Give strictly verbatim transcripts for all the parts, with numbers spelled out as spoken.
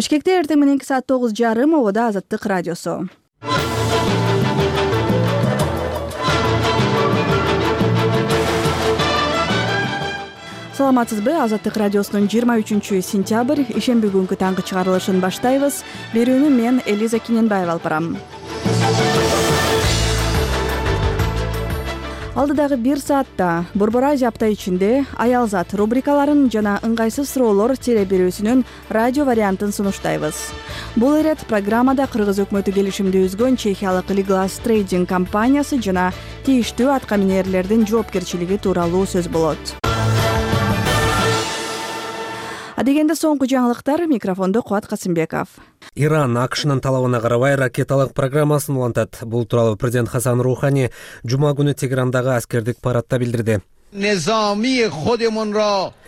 Бишкекте эртең мененки саат тогуз жарым обода Азаттык радиосу. Саламатсызбы? Азаттык радиосунун жыйырма үчүнчү сентябрь ишемби күнгү таңкы чыгарылышын баштайбыз. Берүүнү мен Элиза Киненбаева алып барам. Алдыдагы бир саатта Борбор Азия апта ичинде Аялзат рубрикаларын жана ыңгайсыз суроолор теле берүүсүнүн радио вариантын сунуштайбыз. Бул ирет программада Кыргыз өкмөтү келишимди үзгөн чехиялык Liglas Trading компаниясы жана тийиштүү атка минерлердин жоопкерчилиги тууралуу сөз болот. Адегенде соңку жаңылыктар, микрофондо Кубат Касымбеков. Иран АКШнын талабына карабай ракеталык программасын улантат. Бул тууралуу президент Хасан Рухани жума күнү Тегерандагы аскердик парадда билдирди.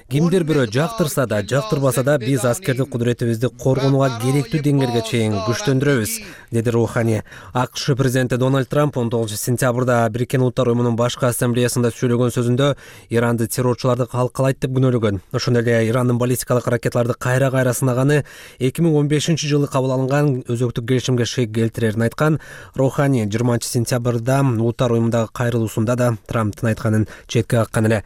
Кимдир бирөө жактырса да, жактырбаса да биз аскердик кудуретибизди коргонууга керектүү деңгээлге чейин күчтөндүрөбүз, деди Рухани. АКШ президенти Дональд Трамп он тогузунчу сентябрда Бириккен Улуттар уюмунун башкы ассамблеясында сүйлөгөн сөзүндө Иранды террорчуларды калкалайт деп күнөөлөгөн. Ошондой эле Ирандын баллистикалык ракеталарды кайра-кайра сынаганы эки миң он бешинчи жылы кабыл алынган өзөктүк келишимге шек келтирерин айткан. Рухани жыйырманчы сентябрда Улуттар уюмундагы кайрылуусунда да Трамптын айтканын четке каккан эле.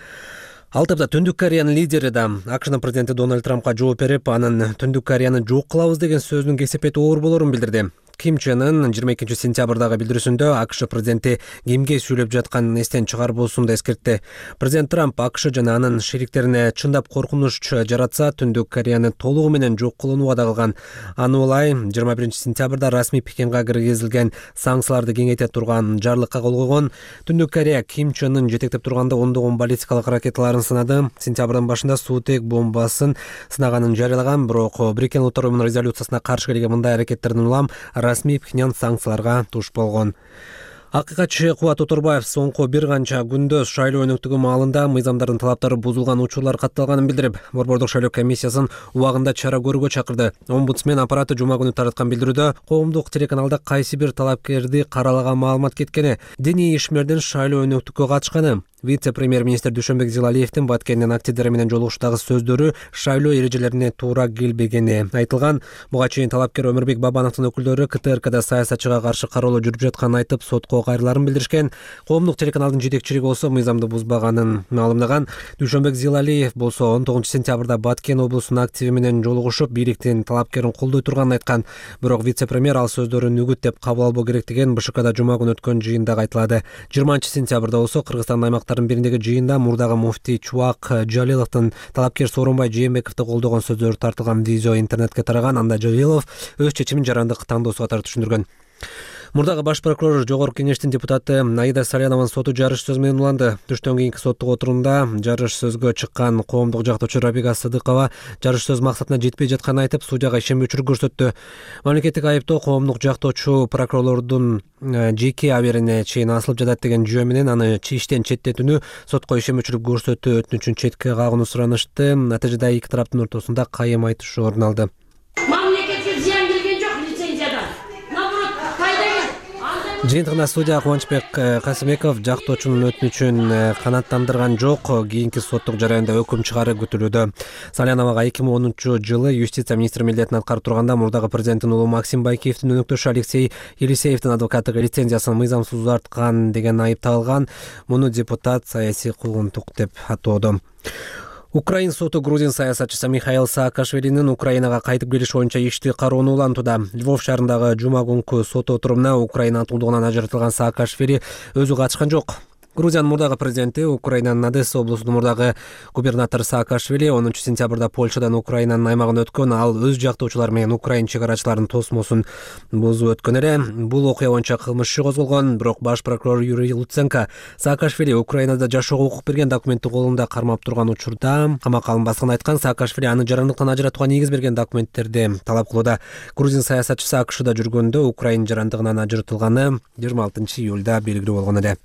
Ал тапта Түндүк Кореянын лидери да АКШнын президенти Дональд Трампка жооп берип, анын Түндүк Кореяны жок кылабыз деген сөзүнүн кесепети оор болорун билдирди. Ким Чен Ын жыйырма экинчи сентябрдагы билдирүүсүндө АКШ президенти кимге сүйлөп жатканын эстен чыгарбоосун да эскертти. Президент Трамп АКШ жана анын шериктерине чындап коркунуч жаратса, Түндүк Кореяны толугу менен жок кылууну вада кылган. Аны улай жыйырма биринчи сентябрда расмий Пекинге киргизилген санкцияларды кеңейте турган жарлыкка кол койгон. Түндүк Корея Ким Чен Ын жетектеп турганда ондогон баллистикалык ракеталарын сынады. Сентябрдын башында суутек бомбасын сынаганын жарыялаган, бирок Бириккен Улуттар уюмунун резолюциясына каршы келген мындай аракеттердин улам расмий Пхеньян санкцияларга туш болгон. Акыйкатчы Кубат Оторбаев соңку бир канча күндө шайлоо өнөктүгү маалында мыйзамдардын талаптары бузулган учурлар катталганын билдирип, Борбордук шайлоо комиссиясын убагында чара көрүүгө чакырды. Омбудсмен аппараты жума күнү тараткан билдирүүдө коомдук телеканалда кайсы бир талапкерди каралаган маалымат кеткени, диний ишмердин шайлоо өнөктүккө катышканы, вице-премьер-министр Дүйшөнбек Зилалиевдин Баткендин активдери менен жолугушуудагы сөздөрү шайлоо эрежелерине туура келбегени айтылган. Буга чейин талапкер Өмүрбек Бабановдун өкүлдөрү КТРКда саясатчыга каршы кароолоо жүрүп жатканын айтып, сотко кайрыларын билдиришкен. Коомдук телеканалдын жетекчилиги болсо мыйзамды бузбаганын маалымдаган. Дүйшөнбек Зилалиев болсо он тогузунчу сентябрда Баткен облусунун активи менен жолугушуп, бийликтин талапкерин колдой турганын айткан. Бирок вице-премьер ал сөздөрүн үгүт деп кабыл албоо керектигин БШКда жума күнү өткөн жыйында айтылады. жыйырманчы сентябрда болсо Кыргызстандын аймактарын бириндеги жыйында мурдагы муфтий Чубак Жалиловдун талапкер Сооронбай Жээнбековду колдогон сөздөрү тартылган видео интернетке тараган. Анда Жалилов өз чечимин жарандык тандоосу катары түшүндүргөн. Мурдагы баш прокурор Жогорку кеңештин депутаты Аида Салянованын соту жарыш сөз менен уланды. Түштөн кийинки соттук отурумда жарыш сөзгө чыккан коомдук жактоочу Рабига Сыдыкова жарыш сөз максатына жетпей жатканын айтып, судьяга ишенбөөчүлүк көрсөттү. Мамлекеттик айыптоо коомдук жактоочу прокурорлордун жеке аберине чейин асылып жатат деген жүйө менен аны иштен четтетүүнү, сотко ишенбөөчүлүк көрсөтүү өтүнүчүн четке кагууну суранышты. Натыйжада эки тараптын ортосунда кайым айтышуу орун алды. Жыйынтыгында судья Кубанычбек Касымбеков жактоочунун өтүнүчүн канааттандырган жок. Кийинки соттук жараянда өкүм чыгары күтүлүүдө. Саляновага эки миң онунчу жылы юстиция министри милдетин аткарып турганда мурдагы президенттин уулу Максим Байкиевдин өнөктөшү Алексей Елисеевдин адвокаттык лицензиясын мыйзамсыз узарткан деген айып тагылган. Муну депутат саясий куугунтук деп атоодо. Украин соту грузин саясатчысы Михаил Саакашвилинин Украинага кайтып келиш боюнча ишти кароону улантууда. Львов шаарындагы жума күнкү сот отурумуна Украина атуулдугунан ажыратылган Саакашвили өзү катышкан жок. Грузиянын мурдагы президенти, Украинанын Одесса облусунун мурдагы губернатору Саакашвили онунчу сентябрда Польшадан Украинанын аймагына өткөн. Ал өз жактоочулары менен Украин чегарачыларынын тосмосун бузуп өткөн эле. Бул окуя боюнча кылмыш иши козголгон, бирок баш прокурор Юрий Луценко Саакашвили Украинада жашоого укук берген документти колунда кармап турган учурда камакка алынбасканын айткан. Саакашвили аны жарандыктан ажыратууга негиз берген документтерди талап кылууда. Грузин саясатчысы АКШда жүргөндө Украин жарандыгынан ажыратылганы жыйырма алтынчы июлда белгилүү болгон эле.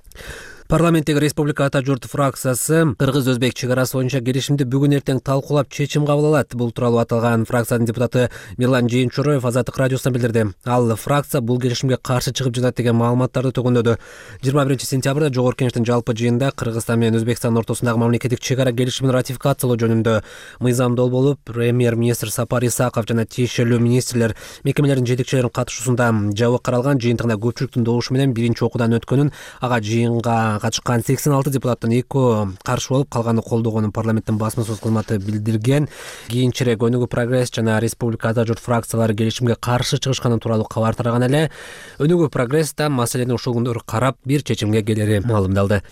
Парламенттеги Республика Ата журт фракциясы кыргыз-өзбек чек арасы боюнча келишимди бүгүн эртең талкуулап чечим кабыл алат. Бул тууралуу аталган фракциянын депутаты Мирлан Жээнчуроев Азаттык радиосуна билдирди. Ал фракция бул келишимге каршы чыгып жатат деген маалыматтарды төгүндөдү. жыйырма биринчи сентябрда Жогорку Кеңештин жалпы жыйынында Кыргызстан менен Өзбекстандын ортосундагы мамлекеттик чек ара келишимин ратификациялоо жөнүндө мыйзамдоо болуп, премьер-министр Сапар Исаков жана тиешелүү министрлер, мекемелердин жетекчилеринин катышуусунда жабык каралган жыйынтыгында көпчүлүктүн добушу менен биринчи окуудан өткөнүн, ага жыйынга катышкан сексен алты депутаттын экөө каршы болуп, калганы колдогонун парламенттин басма сөз кызматы билдирген. Кийинчерээк Өнүгүү Прогресс жана Республика Ата журт фракциялары келишимге каршы чыгышканы тууралуу кабар тараган эле. Өнүгүү Прогресс да маселени ушул күндөр карап бир чечимге келери маалымдалды.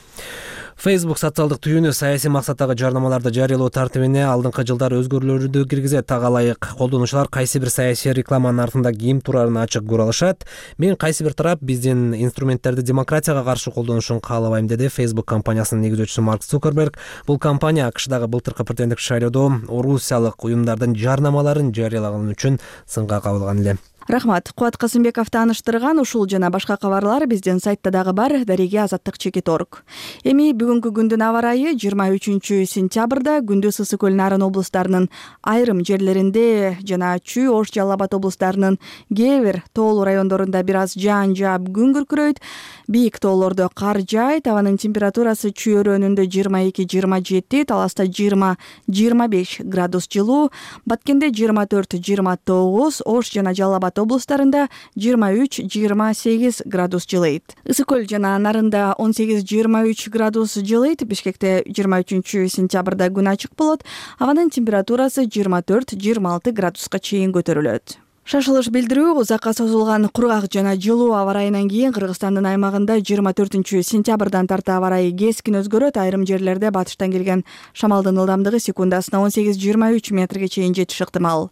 Facebook социалдык түйүнү саясий максаттагы жарнамаларды жарыялоо тартибине алдыңкы жылдары өзгөрүүлөрдү киргизет. Ага ылайык колдонуучулар кайсы бир саясий рекламанын артында ким турарын ачык көрө алышат. Мен кайсы бир тарап биздин инструменттерди демократияга каршы колдонушун каалабайм, деди Facebook компаниясынын негизүүчүсү Марк Цукерберг. Бул компания АКШдагы былтыркы президенттик шайлоодо орусиялык уюмдардын жарнамаларын жарыялаганы үчүн сынга кабылган эле. Рахмат. Кубат Касымбеков тааныштырган ушул жана башка кабарлар биздин сайтта дагы бар. Дареги азаттык чекит точка орг. Эми бүгүнкү күндүн аба ырайы жыйырма үчүнчү сентябрда күндүз ысык көл нарын облустарынын айрым жерлеринде жана Чүй, Ош, Жалал Абад облустарынын кээ бир тоолуу райондорунда бир аз жаан жаап күн күркүрөйт. Бийик тоолордо кар жаайт. Абанын температурасы Чүй өрөөнүндө жыйырма эки жыйырма жети, Таласта жыйырма жыйырма беш градус жылуу, Баткенде жыйырма төрт жыйырма тогуз, Ош жана Жалал Абад облустарында жыйырма үч жыйырма сегиз градус жылыйт. Ысык көл жана Нарында он сегиз жыйырма үч градус жылыйт. Бишкекте жыйырма үчүнчү сентябрда күн ачык болот. Абанын температурасы жыйырма төрт жыйырма алты градуска чейин көтөрүлөт. Шашылыш билдирүү узакка созулган кургак жана жылуу аба ырайынан кийин Кыргызстандын аймагында жыйырма төртүнчү сентябрдан тарта аба ырайы кескин өзгөрөт. Айрым жерлерде батыштан келген шамалдын ылдамдыгы секундасына он сегиз жыйырма үч метрге чейин жетиши ыктымал.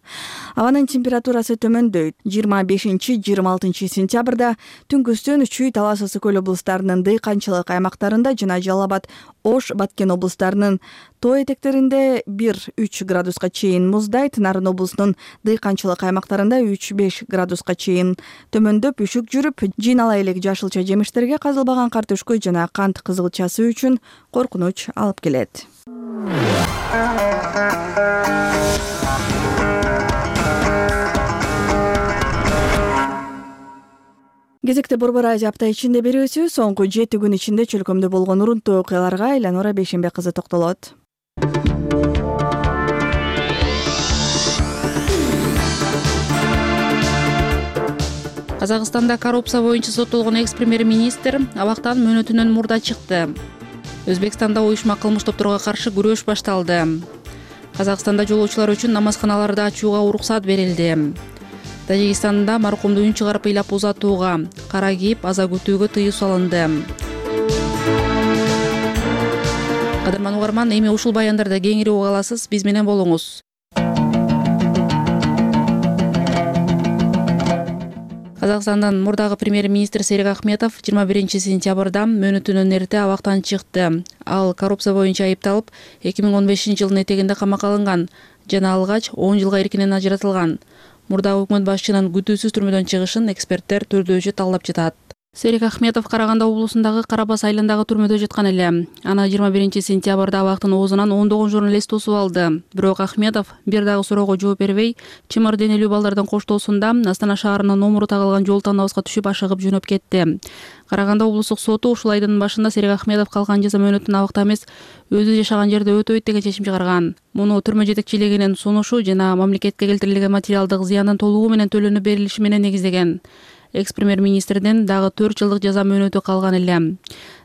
Абанын температурасы төмөндөйт. жыйырма бешинчи жыйырма алтынчы сентябрда түнкүстүн Чүй, Талас, ысык көл облустарынын дыйканчылык аймактарында жана Жалал Абад, Ош, Баткен облустарынын тоо этектеринде бир үч градуска чейин муздайт. Нарын облусунун дыйканчылык аймактарында үч беш градуска чейин төмөндөп үшүк жүрүп, жыйнала элек жашылча жемиштерге казылбаган картөшкө жана кант кызылчасы үчүн коркунуч алып келет. Кезекте Борбор Азия апта ичинде берүүсү соңку жети күн ичинде чөлкөмдө болгон урунтуу окуяларга Эланора Бейшембек кызы токтолот. Казакстанда коррупция боюнча соттолгон экс-премьер-министр абактан мөөнөтүнөн мурда чыкты. Өзбекстанда уюшма кылмыш топторго каршы күрөш башталды. Казакстанда жолоочулар үчүн намазканаларды ачууга уруксат берилди. Тажикстанда маркумду үн чыгарып ыйлап узатууга, кара кийип аза күтүүгө тыюу салынды. Кадырман угарман, эми ушул баяндарды кеңири уга аласыз, биз менен болуңуз. Казакстандын мурдагы премьер-министр Серик Ахметов жыйырма биринчи сентябрда мөөнөтүнөн эрте абактан чыкты. Ал коррупция боюнча айыпталып, эки миң он бешинчи жылдын этегинде камакка алынган жана алгач он жылга эркинен ажыратылган. Мурдагы өкмөт башчынын күтүүсүз түрмөдөн чыгышын эксперттер түрдөөчү талдап жатат. Серик Ахметов Караганда облусундагы Карабас айылындагы түрмөдө жаткан эле. Аны жыйырма биринчи сентябрда абактын оозунан ондогон журналист тосуп алды. Бирок Ахметов бир дагы суроого жооп бербей, чымыр денелүү балдардын коштоосунда Астана шаарынын номуру тагылган жол танабызга түшүп ашыгып жөнөп кетти. Караганда облустук соту ушул айдын башында Серик Ахметов калган жаза мөөнөтүн абакта эмес, өзү жашаган жерде өтөйт деген чечим чыгарган. Муну түрмө жетекчилигинин сунушу жана мамлекетке келтирилген материалдык зыяндын толугу менен төлөнүп берилиши менен негиздеген. Экс-премьер-министрдин дагы төрт жылдык жаза мөөнөтү калган эле.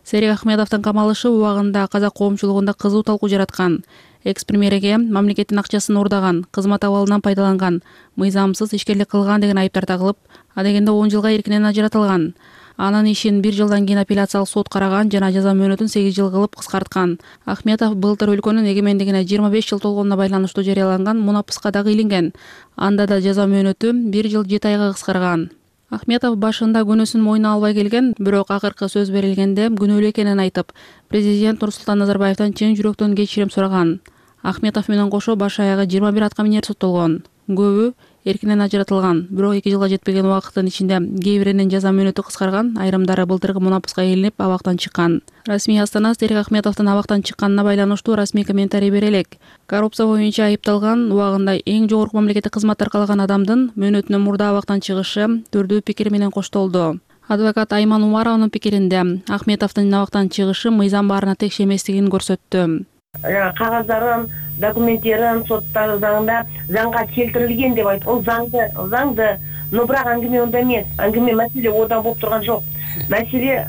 Серик Ахметовдун камалышы убагында казак коомчулугунда кызуу талкуу жараткан. Экс-премьерге мамлекеттин акчасын уурдаган, кызмат абалынан пайдаланган, мыйзамсыз ишкерлик кылган деген айыптар тагылып, адегенде он жылга эркинен ажыратылган. Анын ишин бир жылдан кийин апелляциялык сот караган жана жаза мөөнөтүн сегиз жыл кылып кыскарткан. Ахметов былтыр өлкөнүн эгемендигине жыйырма беш жыл толгонуна байланыштуу жарыяланган мунапыска дагы илинген. Анда да жаза мөөнөтү бир жыл жети айга кыскарган. Ахметов башында күнөөсүн мойнуна албай келген, бирок акыркы сөз берилгенде күнөөлүү экенин айтып, президент Нурсултан Назарбаевтан чын жүрөктөн кечирим сураган. Ахметов менен кошо баш аягы жыйырма бир аткаминер соттолгон. Көбү эркинен ажыратылган, бирок эки жылга жетпеген убакыттын ичинде кээ биринин жаза мөөнөтү кыскарган, айрымдары былтыркы мунапыска ээлинип абактан чыккан. Расмий Астана Серик Ахметовдун абактан чыкканына байланыштуу расмий комментарий бере элек. Коррупция боюнча айыпталган, убагында эң жогорку мамлекеттик кызмат аркалаган адамдын мөөнөтүнөн мурда абактан чыгышы түрдүү пикир менен коштолду. Адвокат Айман Умарованын пикиринде Ахметовдун абактан чыгышы мыйзам баарына текше эместигин көрсөттү. Кагаздарын, документтерин соттар заңында заңга келтирилген деп айтып, ол заңды, заңды, но бирок аңгиме онда эмес. Аңгиме маселе одан болуп турган жок. Маселе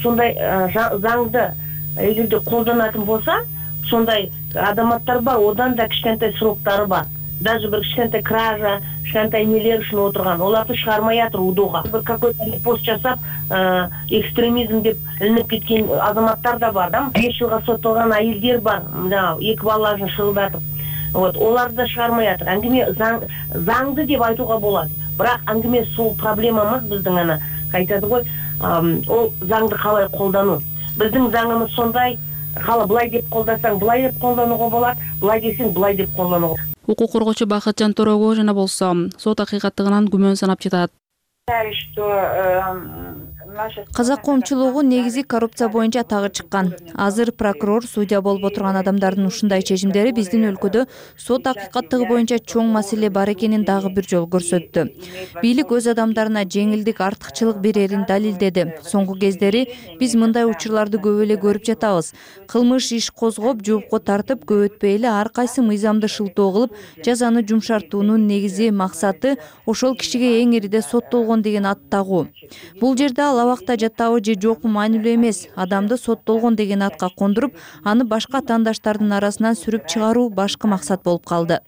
сондай заңды эгерде колдонатын болса, сондай адаматтар бар, одан да кичинекей сроктары бар. Даже bir кичинекей кража, кичинекей нелер үчүн отурган, оларды чыгармай атыр удууга. Bir какой-то пост жасап, экстремизм деп илинип кеткен азаматтар да бар, да? беш жылга соттолгон айылдар бар, эки балаларын шырылдатып. Вот, оларды да чыгармай атыр. Аңгиме заңды деп айтууга болот. Бирок аңгиме сол проблемамыз биздин ана айтады ғой, ол заңды калай колдонуу. Биздин заңымыз сондай, кала былай деп колдосоң, былай деп колдонууга болот, былай десең, былай деп колдонууга. Укук коргоочу Бакытжан Торого жана болсо сот акыйкаттыгынан күмөн санап жатат. Казак коомчулугу негизи коррупция боюнча тагы чыккан. Азыр прокурор, судья болуп отурган адамдардын ушундай чечимдери биздин өлкөдө сот акыйкаттыгы боюнча чоң маселе бар экенин дагы бир жолу көрсөттү. Бийлик өз адамдарына жеңилдик, артыкчылык берерин далилдеди. Соңку кездери биз мындай учурларды көп эле көрүп жатабыз. Кылмыш иш козгоп, жоопко тартып, көп өтпөй эле ар кайсы мыйзамды шылтоо кылып, жазаны жумшартуунун негизи максаты ошол кишиге эң ириде соттолгон деген ат тагуу. Бул жерде ал абакта жатабы же жокпу маанилүү эмес. Адамды соттолгон деген атка кондуруп, аны башка тандаштардын арасынан сүрүп чыгаруу башкы максат болуп калды.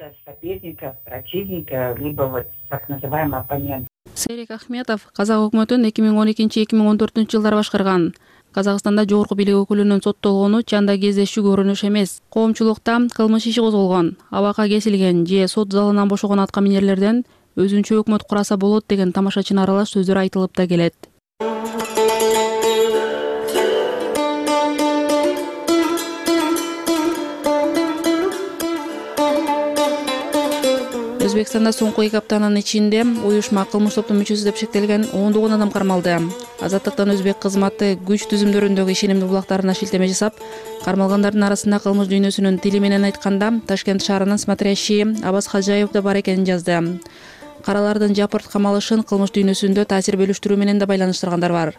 Серик Ахметов казак өкмөтүн эки миң он экинчи — эки миң он төртүнчү жылдары башкарган. Казакстанда жогорку бийлик өкүлүнүн соттолгону чанда кездешүү көрүнүш эмес. Коомчулукта кылмыш иши козголгон, абакка кесилген же сот залынан бошогон атка минерлерден өзүнчө өкмөт кураса болот деген тамашачына аралаш сөздөр айтылып да келет. Өзбекстанда соңку эки аптанын ичинде уюшма кылмыш топтун мүчөсү деп шектелген ондогон адам кармалды. Азаттыктан Өзбек кызматы күч түзүмдөрүндөгү ишенимдүү булактарына шилтеме жасап, кармалгандардын арасында кылмыш дүйнөсүнүн тили менен айтканда Ташкент шаарынын смотрящий Абаз Хаджаев да бар экенин жазды. Каралардын жапырт камалышын кылмыш дүйнөсүндө таасир бөлүштүрүү менен да байланыштыргандар бар.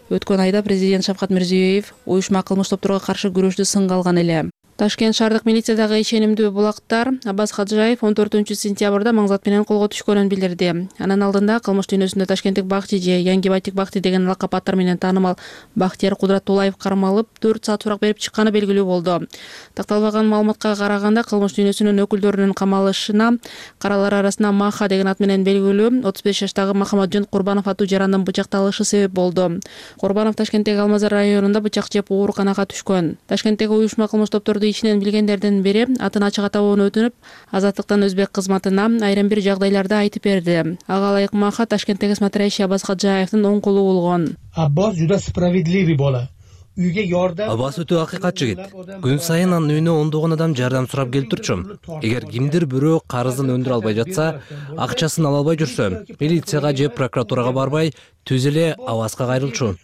Өткөн айда президент Шавкат Мирзиёев уюшма кылмыш топторго каршы күрөштү сынга алган эле. Ташкент шаардык милициядагы ишенимдүү булактар Абаз Хаджаев он төртүнчү сентябрда маңзат менен колго түшкөнүн билдирди. Анын алдында кылмыш дүйнөсүндө Ташкенттик Бакчи же Янги Байтик Бакти деген лакап аттар менен таанымал Бактияр Кудратуллаев кармалып, төрт саат сурак берип чыкканы белгилүү болду. Такталбаган маалыматка караганда кылмыш дүйнөсүнүн өкүлдөрүнүн камалышына каралар арасында Маха деген ат менен белгилүү отуз беш жаштагы Махамаджон Курбанов аттуу жарандын бычакталышы себеп болду. Курбанов Ташкенттеги Алмазар районунда бычак жеп ооруканага түшкөн. Ташкенттеги уюшма кылмыш топторду ичинен билгендердин бири атын ачык атабоону өтүнүп, Азаттыктан Өзбек кызматына айрым бир жагдайларда айтып берди. Ага ылайык Маха Ташкенттеги смотрящий Абаз Хаджаевдин оң колу болгон. Аббас juda справедливый bola. Үйгө жардам. Аббас өтө акыйкат жигит. Күн сайын анын үйүнө ондогон адам жардам сурап келип турчу. Эгер кимдир бирөө карызын өндүрө албай жатса, акчасын ала албай жүрсө, милицияга же прокуратурага барбай, түз эле Абазга кайрылчу.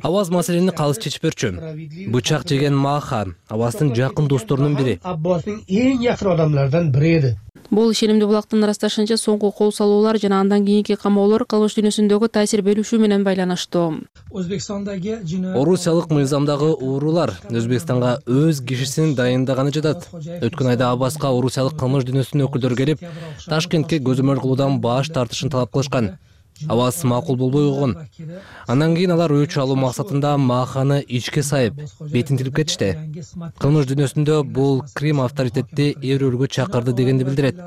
Абаз маселени калыс чечип берчү. Бычак жеген Маха Абаздын жакын досторунун бири. Аббастын эң жакын адамдардан бири эди. Бул ишенимдүү булактын ырасташынча соңку кол салуулар жана андан кийинки камоолор кылмыш дүйнөсүндөгү таасир бөлүшүү менен байланыштуу. Өзбекстандагы Орусиялык мыйзамдагы уурулар Өзбекстанга өз кишисин дайындаганы жатат. Өткөн айда Абазга орусиялык кылмыш дүйнөсүнүн өкүлдөрү келип, Ташкентке көзөмөл кылуудан баш тартышын талап кылышкан. Абаз макул болбой койгон. Андан кийин алар өч алуу максатында Маханы ичке сайып, бетин тилип кетишти. Кылмыш дүйнөсүндө бул Крим авторитетти эр-өргө чакырды дегенди билдирет.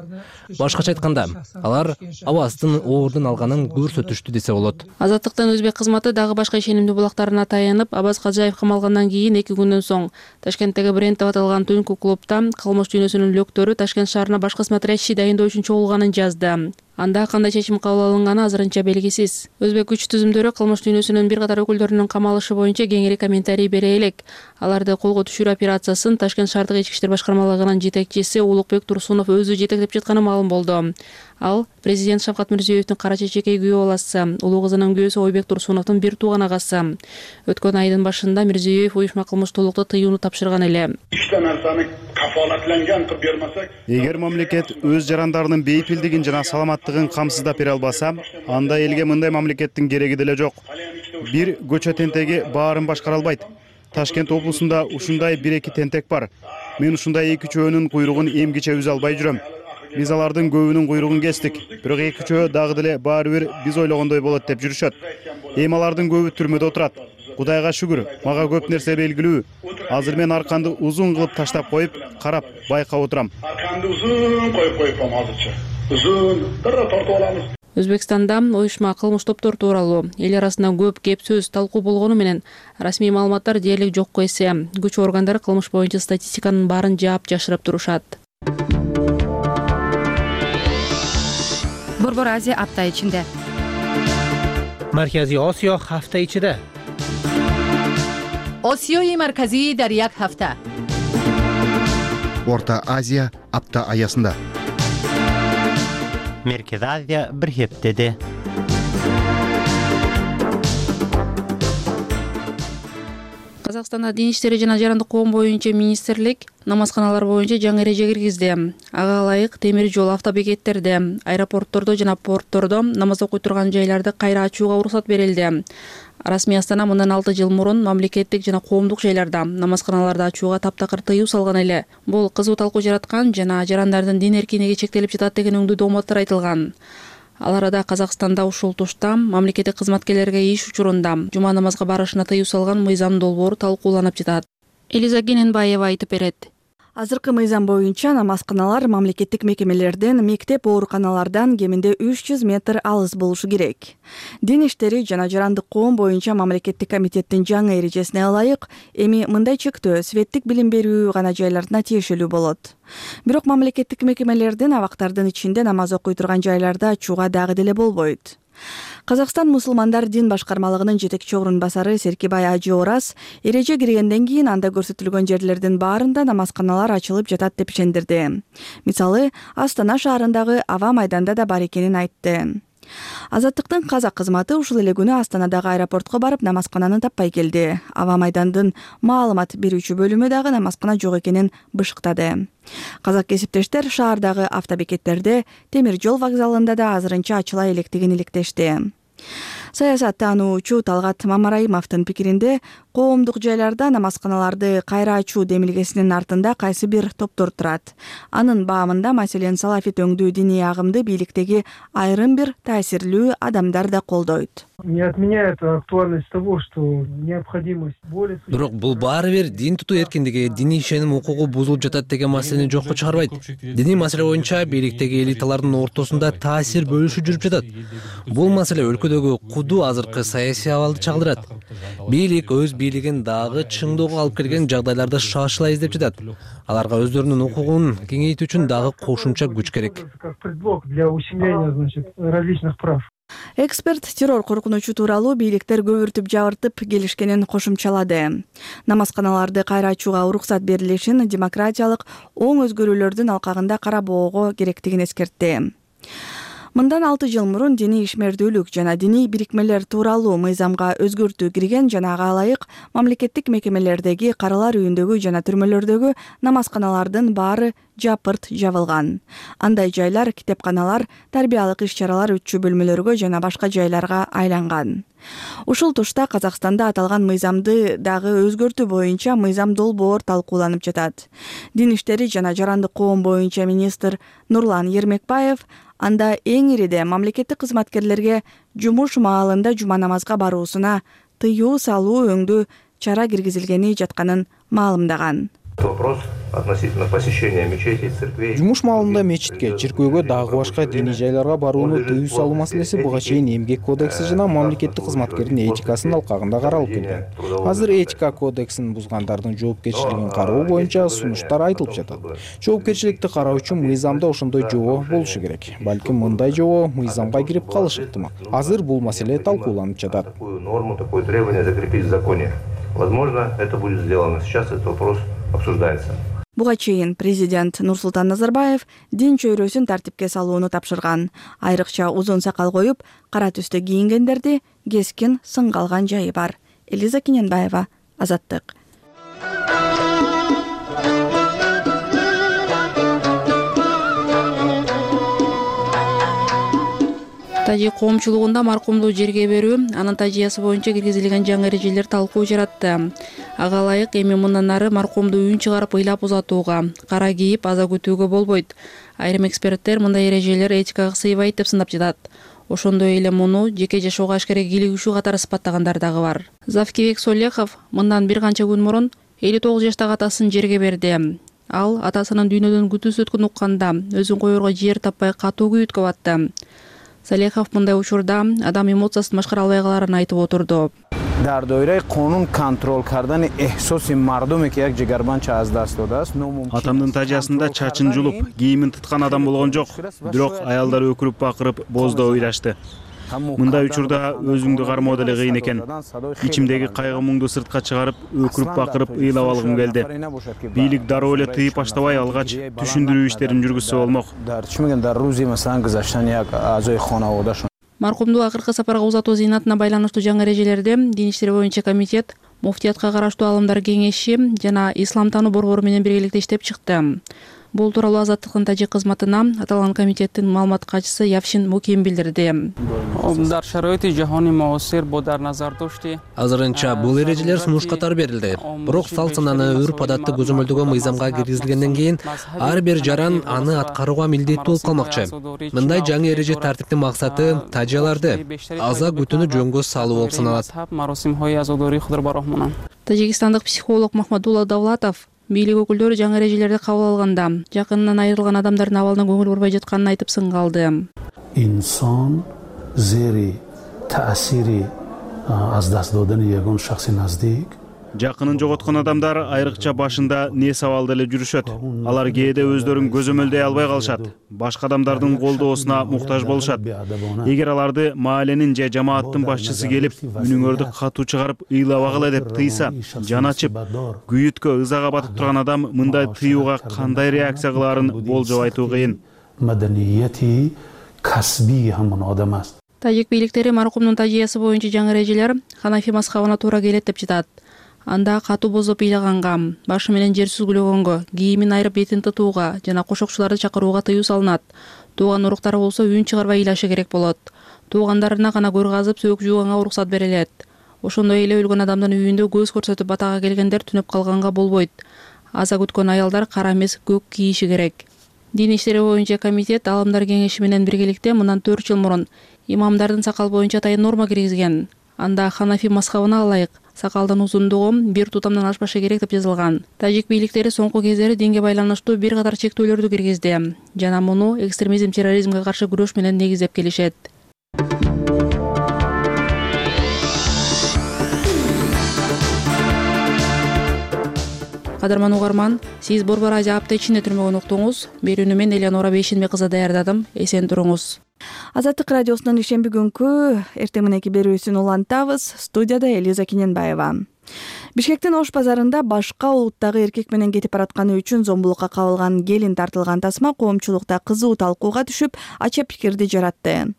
Башкача айтканда, алар Абаздын оордун алганын көрсөтүштү десе болот. Азаттыктан Өзбек кызматы дагы башка ишенимдүү булактарына таянып, Абаз Хаджаев камалгандан кийин эки күндөн соң Ташкенттеги Бренд деп аталган түнкү клубда кылмыш дүйнөсүнүн лөктөрү Ташкент шаарына башка смотрящий дайындоо үчүн чогулганын жазды. анда кандай чечим кабыл алынганы азырынча белгисиз. Өзбек күч түзүмдөрү кылмыш дүйнөсүнүн бир катар өкүлдөрүнүн камалышы боюнча кеңири комментарий бере элек. Аларды колго түшүрүү операциясын Ташкент шаардык ички иштер башкармалыгынын жетекчиси Улукбек Турсунов өзү жетектеп жатканы маалым болду. Ал президент Шавкат Мирзиёевдин кара чечекей күйөө баласы, улуу кызынын күйөөсү Ойбек Турсуновдун бир тууган агасы. Өткөн айдын башында Мирзиёев уюшма кылмыштуулукта тыюуну тапшырган эле. Эгер мамлекет өз жарандарынын бейпилдигин жана саламаттыгын камсыздап бере албаса, анда элге мындай мамлекеттин кереги деле жок. Бир көчө тентеги баарын башкара албайт. Ташкент облусунда ушундай бир-эки тентек бар. Мен ушундай эки чөөнүн куйругун эмгиче үзө албай жүрөм. Биз алардын көбүнүн куйругун кестик. Бирок эки чөө дагы деле баары бир биз ойлогондой болот деп жүрүшөт. Эми алардын көбү түрмөдө отурат. Кудайга шүгүр, мага көп нерсе белгилүү. Азыр мен арканды узун кылып таштап коюп, карап, байкап отурам. Арканды узун коюп коюпам азырча. Узун, дара тартып алабыз. Өзбекстанда уюшма кылмыш топтор тууралуу эл арасында көп кеп сөз талкуу болгону менен расмий маалыматтар дээрлик жокко эсе. Күч органдары кылмыш боюнча статистиканын баарын жаап жашырып турушат. Борбор Азия апта ичинде. Марказий Осиё ҳафта ичиде. Осиёи марказии дар як ҳафта. Орта Азия апта аясында. Меркез Азия бир хептеде. Казакстанда дин иштери жана жарандык коом боюнча министрлик намазканалар боюнча жаңы эреже киргизди. Ага ылайык темир жол автобекеттерде, аэропорттордо жана порттордо намаз окуй турган жайларды кайра ачууга уруксат берилди. Расмий Астана мындан алты жыл мурун мамлекеттик жана коомдук жайларда намазканаларды ачууга таптакыр тыюу салган эле. Бул кызуу талкуу жараткан жана жарандардын дин эркиндиги чектелип жатат деген өңдүү дооматтар айтылган. Ал арада Казакстанда ушул тушта мамлекеттик кызматкерлерге иш учурунда жума намазга барышына тыюу салган мыйзам долбоору талкууланып жатат. Элиза Гененбаева айтып берет. Азыркы мыйзам боюнча намазканалар мамлекеттик мекемелерден, мектеп, ооруканалардан кеминде үч жүз метр алыс болушу керек. Дин иштери жана жарандык коом боюнча мамлекеттик комитеттин жаңы эрежесине ылайык эми мындай чектөө светтик билим берүү гана жайларына тиешелүү болот. Бирок мамлекеттик мекемелердин абактардын ичинде намаз окуй турган жайларда ачууга дагы деле болбойт. Казакстан мусулмандар дин башкармалыгынын жетекчи орун басары Серкибай Ажы Ораз эреже киргенден кийин анда көрсөтүлгөн жерлердин баарында намазканалар ачылып жатат деп ишендирди. Мисалы, Астана шаарындагы Аба майданда да бар экенин айтты. Азаттыктын казак кызматы ушул эле күнү Астанадагы аэропортко барып намазкананы таппай келди. Аба майдандын маалымат берүүчү бөлүмү дагы намазкана жок экенин бышыктады. Казак кесиптештер шаардагы автобекеттерде, темир жол вокзалында да азырынча ачыла электигин иликтешти. Саясаттануучу Талгат Мамараимовдун пикиринде, коомдук жайларда намазканаларды кайра ачуу демилгесинин артында кайсы бир топтор турат. Анын баамында, маселен, салафит өңдүү диний агымды бийликтеги айрым бир таасирлүү адамдар да колдойт. Не отменяет актуальность того, что необходимость более... Бирок бул баары бир дин тутуу эркиндиги, диний ишеним укугу бузулуп жатат деген маселени жокко чыгарбайт. Диний маселе боюнча бийликтеги элиталардын ортосунда таасир бөлүшүү жүрүп жатат. Бул маселе өлкөдөгү кудуу азыркы саясий абалды чагылдырат. Бийлик өз бийлигин дагы чыңдоого алып келген жагдайларды шашыла издеп жатат. Аларга өздөрүнүн укугун кеңейтүү үчүн дагы кошумча күч керек. Предлог для ущемления, значит, различных прав. Эксперт террор коркунучу тууралуу бийликтер көбүртүп жабыртып келишкенин кошумчалады. Намазканаларды кайра ачууга уруксат берилишин демократиялык оң өзгөрүүлөрдүн алкагында карабоого керектигин эскертти. Мындан алты жыл мурун диний ишмердүүлүк жана диний бирикмелер тууралуу мыйзамга өзгөртүү кирген жана ага ылайык мамлекеттик мекемелердеги, каралар үйүндөгү жана түрмөлөрдөгү намазканалардын баары жапырт жабылган. Андай жайлар китепканалар, тарбиялык иш-чаралар өтчү бөлмөлөргө жана башка жайларга айланган. Ушул тушта Казакстанда аталган мыйзамды дагы өзгөртүү боюнча мыйзам долбоор талкууланып жатат. Дин иштери жана жарандык коом боюнча министр Нурлан Ермекбаев анда эң ириде мамлекеттик кызматкерлерге жумуш маалында жума намазга баруусуна тыюу салуу өңдүү чара киргизилгени жатканын маалымдаган. Вопрос относительно посещения мечетей, церквей. Жумуш маалында мечитке, чиркөөгө, дагы башка диний жайларга барууну тыюу салуу маселеси буга чейин эмгек кодекси жана мамлекеттик кызматкердин этикасынын алкагында каралып келген. Азыр этика кодексин бузгандардын жоопкерчилигин кароо боюнча сунуштар айтылып жатат. Жоопкерчиликти кароо үчүн мыйзамда ошондой жобо болушу керек. Балким мындай жобо мыйзамга кирип калышы ыктымал. Азыр бул маселе талкууланып жатат. Норму, такое требование закрепить в законе. Возможно, это будет сделано. Сейчас этот вопрос обсуждается. Буга чейин президент Нурсултан Назарбаев дин чөйрөсүн тартипке салууну тапшырган. Айрыкча узун сакал коюп, кара түстө кийингендерди кескин сынга алган жайы бар. Элиза Киненбаева, Азаттык. Тажик коомчулугунда маркумду жерге берүү, анын тажыясы боюнча киргизилген жаңы эрежелер талкуу жаратты. Ага ылайык эми мындан ары маркумду үн чыгарып ыйлап узатууга, кара кийип аза күтүүгө болбойт. Айрым эксперттер мындай эрежелер этикага сыйбайт деп сындап жатат. Ошондой эле муну жеке жашоого ашкере кийлигишүү катары сыпаттагандар дагы бар. Завкибек Солехов мындан бир канча күн мурун элүү тогуз жаштагы атасын жерге берди. Ал атасынын дүйнөдөн күтүүсүз өткөнүн укканда өзүн коерго жер таппай катуу күйүткө батты. Салехов мындай учурда адам эмоциясын башкара албай каларын айтып отурду. дар доираи қонун контрол кардани эҳсоси мардуме ки як ҷигарбанча аз даст додааст. Атамдын тажиясында чачын жулуп, кийимин тыткан адам болгон жок. Бирок аялдар өкүрүп бакырып, боздоо ыйлашты. Мындай учурда өзүңдү кармоо деле кыйын экен. Ичимдеги кайгы муңду сыртка чыгарып, өкүрүп бакырып ыйлап алгым келди. Бийлик дароо эле тыйып баштабай алгач, түшүндүрүү иштерин жүргүзсө болмок. Маркумду акыркы сапарга узатуу зыйнатына байланыштуу жаңы эрежелерди Дин иштери боюнча комитет, муфтиятка караштуу алымдар кеңеши жана ислам таануу борбору менен биргеликте иштеп чыкты. Бул тууралуу Азаттыктын тажик кызматына аталган комитеттин маалымат катчысы Явшин Муким билдирди. Азырынча бул эрежелер сунуш катары берилди. Бирок салт сананы, үрп адатты көзөмөлдөгөн мыйзамга киргизилгенден кийин ар бир жаран аны аткарууга милдеттүү болуп калмакчы. Мындай жаңы эреже тартиптин максаты тажияларды аза күтүүнү жөнгө салуу болуп саналат. Тажикстандык психолог Махмадулла Давлатов бийлик өкүлдөрү жаңы эрежелерди кабыл алганда жакынынан айрылган адамдардын абалына көңүл бурбай жатканын айтып сынга алды. Инсон зери таасири аз даст додани ягон шахси наздик. Жакынын жоготкон адамдар айрыкча башында не сабалды эле жүрүшөт. Алар кээде өздөрүн көзөмөлдөй албай калышат. Башка адамдардын колдоосуна муктаж болушат. Эгер аларды мааленин же жамааттын башчысы келип, үнүңөрдү катуу чыгарып ыйлабагыла деп тыйса, жан ачып, күйүткө, ызага батып турган адам мындай тыюуга кандай реакция кылаарын болжоп айтуу кыйын. Маданияти касби хамын адамас. Тажик бийликтери маркумдун тажиясы боюнча жаңы эрежелер Ханафи мазхабына туура келет деп жатат. Анда катуу бозоп ыйлаганга, башы менен жер сүзгүлөгөнгө, кийимин айрып бетин тытууга жана кошокчуларды чакырууга тыюу салынат. Тууган уруктары болсо үн чыгарбай ыйлашы керек болот. Туугандарына гана көр казып сөөк жууганга уруксат берилет. Ошондой эле өлгөн адамдын үйүндө көз көрсөтүп батага келгендер түнөп калганга болбойт. Аза күткөн аялдар кара эмес көк кийиши керек. Дин иштери боюнча комитет алымдар кеңеши менен биргеликте мындан төрт жыл мурун имамдардын сакал боюнча атайын норма киргизген. Анда Ханафи мазхабына ылайык сакалдын узундугу бир тутамдан ашпашы керек деп жазылган. Тажик бийликтери соңку кездери динге байланыштуу бир катар чектөөлөрдү киргизди жана муну экстремизм, терроризмге каршы күрөш менен негиздеп келишет. Кадырман угарман, сиз Борбор Азия апта ичинде түрмөгөн уктуңуз. Берүүнү мен Элеонора Бейшенбек кызы даярдадым. Эсен туруңуз. Азаттык радиосунун ишемби күнкү эртең мененки берүүсүн улантабыз. Студияда Элиза Киненбаева. Бишкектин Ош базарында башка улуттагы эркек менен кетип баратканы үчүн зомбулукка кабылган келин тартылган тасма коомчулукта кызуу талкууга түшүп, ача пикирди жаратты.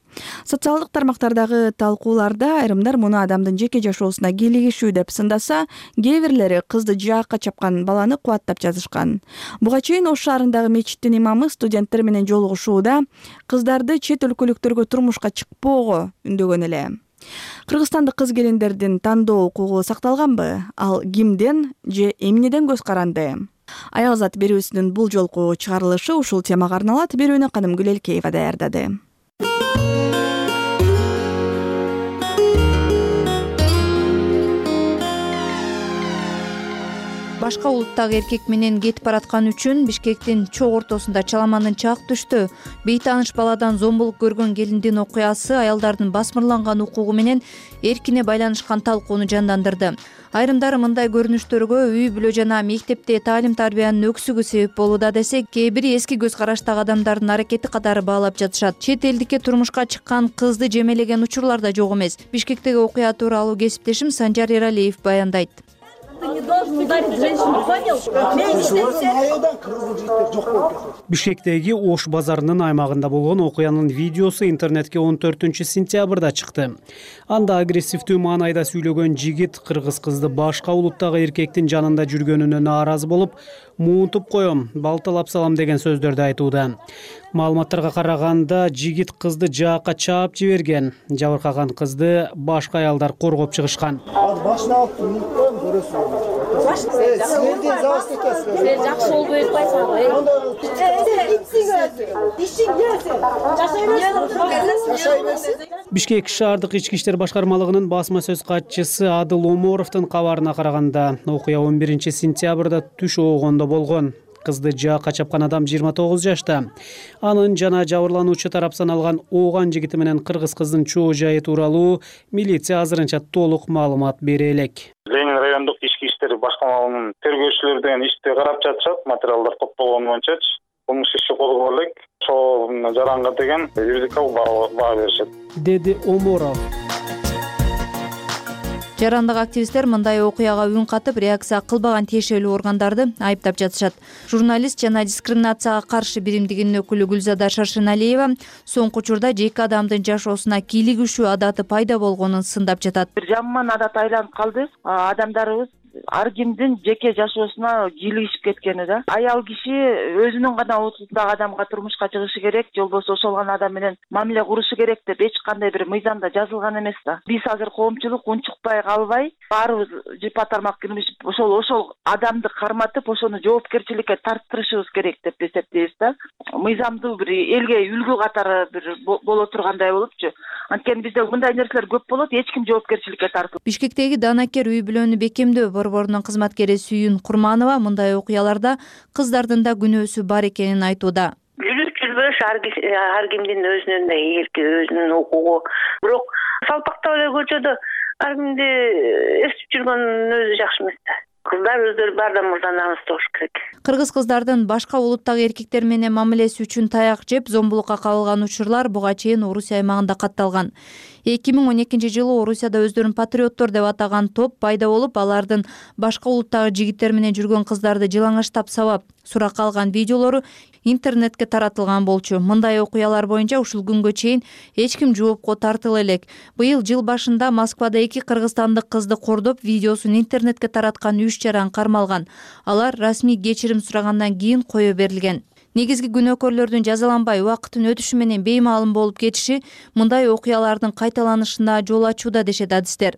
Социалдык тармактардагы талкууларда айрымдар муну адамдын жеке жашоосуна кийлигишүү деп сындаса, кээ бирлери кызды жаакка чапкан баланы кубаттап жазышкан. Буга чейин Ош шаарындагы мечиттин имамы студенттер менен жолугушууда кыздарды чет өлкөлүктөргө турмушка чыкпоого үндөгөн эле. Кыргызстандык кыз келиндердин тандоо укугу сакталганбы? Ал кимден же эмнеден көз каранды? Аялзат берүүсүнүн бул жолку чыгарылышы ушул темага арналат. Берүүнү Канымгүл Элкеева даярдады. башка улуттагы эркек менен кетип бараткан үчүн Бишкектин чок ортосунда чаламандын чак түштү. Бейтааныш баладан зомбулук көргөн келиндин окуясы аялдардын басмырланган укугу менен эркине байланышкан талкууну жандандырды. Айрымдары мындай көрүнүштөргө үй бүлө жана мектепте таалим-тарбиянын өксүгү себеп болууда десе, кээ бири эски көз караштагы адамдардын аракети катары баалап жатышат. Чет элдикке турмушка чыккан кызды жемелеген учурлар да жок эмес. Бишкектеги окуя тууралуу кесиптешим Санжар Эралиев баяндайт. Бишкектеги Ош базарынын аймагында болгон окуянын видеосу интернетке он төртүнчү сентябрда чыкты. Анда агрессивдүү маанайда сүйлөгөн жигит кыргыз кызды башка улуттагы эркектин жанында жүргөнүнө нааразы болуп, муунтуп коем, балталап салам деген сөздөрдү айтууда. Маалыматтарга караганда, жигит кызды жаакка чаап жиберген. Жабыркаган кызды башка аялдар коргоп чыгышкан. Башына алып муунтуп көрөсүң. Силерден завоз экенсиз. Силер жакшы болуп өтпөйсүңөр. Бишкек шаардык ички иштер башкармалыгынын басма сөз катчысы Адыл Оморовдун кабарына караганда, окуя он биринчи сентябрда түш оогондо болгон. Кызды жаакка чапкан адам жыйырма тогуз жашта. Анын жана жабырлануучу тарап саналган ооган жигити менен кыргыз кыздын чоо жайы тууралуу милиция азырынча толук маалымат бере элек. Ленин райондук ички иштер башкармалыгынын тергөөчүлөрү деген ишти карап жатышат, материалдар топтолгон боюнча кылмыш иши козголо элек. Ошол жаранга деген юридикалык баа беришет, деди Оморов. Жарандык активисттер мындай окуяга үн катып, реакция кылбаган тиешелүү органдарды айыптап жатышат. Журналист жана дискриминацияга каршы биримдигинин өкүлү Гүлзада Шаршеналиева соңку учурда жеке адамдын жашоосуна кийлигишүү адаты пайда болгонун сындап жатат. Бир жаман адат айланып калды. Адамдарыбыз ар кимдин жеке жашоосуна кийлигишип кеткени да. Аял киши өзүнүн гана отуздагы адамга турмушка чыгышы керек, же болбосо ошол гана адам менен мамиле курушу керек деп эч кандай бир мыйзамда жазылган эмес да. Биз азыр коомчулук унчукпай калбай, баарыбыз жыпа тармак кирмишип, ошол ошол адамды карматып, ошону жоопкерчиликке тарттырышыбыз керек деп эсептейбиз да. Мыйзамдуу бир элге үлгү катары бир боло тургандай болупчу. Анткени бизде мындай нерселер көп болот, эч ким жоопкерчиликке тартылбайт. Бишкектеги Данакер үй бүлөнү бекемдөө борборунун кызматкери Сүйүн Курманова мындай окуяларда кыздардын да күнөөсү бар экенин айтууда. Жүрүш жүрбөш ар кимдин өзүнүн да эрки, өзүнүн укугу. Бирок салпактап эле көчөдө ар кимди эстип жүргөн өзү жакшы эмес да. Кыздар өздөрү баардан мурда намыстуу болуш керек. Кыргыз кыздардын башка улуттагы эркектер менен мамилеси үчүн таяк жеп, зомбулукка кабылган учурлар буга чейин Орусия аймагында катталган. эки миң он экинчи жылы Орусияда өздөрүн патриоттор деп атаган топ пайда болуп, алардын башка улуттагы жигиттер менен жүргөн кыздарды жылаңачтап сабап, суракка алган видеолору интернетке таратылган болчу. Мындай окуялар боюнча ушул күнгө чейин эч ким жоопко тартыла элек. Быйыл жыл башында Москвада эки кыргызстандык кызды кордоп, видеосун интернетке тараткан үч жаран кармалган. Алар расмий кечирим сурагандан кийин кое берилген. Негизги күнөөкөрлөрдүн жазаланбай убакыттын өтүшү менен беймаалым болуп кетиши мындай окуялардын кайталанышына жол ачууда дешет адистер.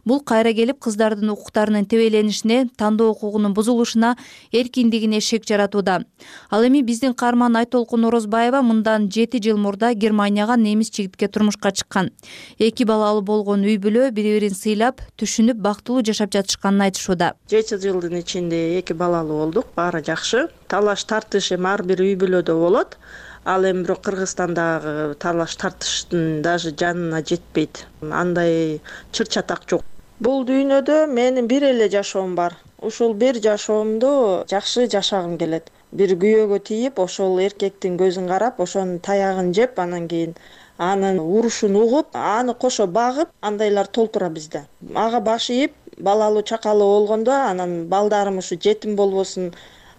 Бул кайра келип кыздардын укуктарынын тебеленишине, тандоо укугунун бузулушуна, эркиндигине шек жаратууда. Ал эми биздин каарман Айтолкун Орозбаева мындан жети жыл мурда Германияга немис жигитке турмушка чыккан. Эки балалуу болгон үй бүлө бири-бирин сыйлап, түшүнүп, бактылуу жашап жатышканын айтышууда. жети жылдын ичинде эки балалуу болдук, баары жакшы. Талаш тартыш эми ар бир үй бүлөдө болот. Ал эми бирок Кыргызстандагы талаш тартыштын даже жанына жетпейт. Андай чыр-чатак жок. Бул дүйнөдө менин бир эле жашоом бар. Ушул бир жашоомду жакшы жашагым келет. Бир күйөөгө тийип, ошол эркектин көзүн карап, ошонун таягын жеп, анан кийин анын урушун угуп, аны кошо багып, андайлар толтура бизде. Ага баш ийип, балалуу чакалуу болгондо, анан балдарым ушу жетим болбосун,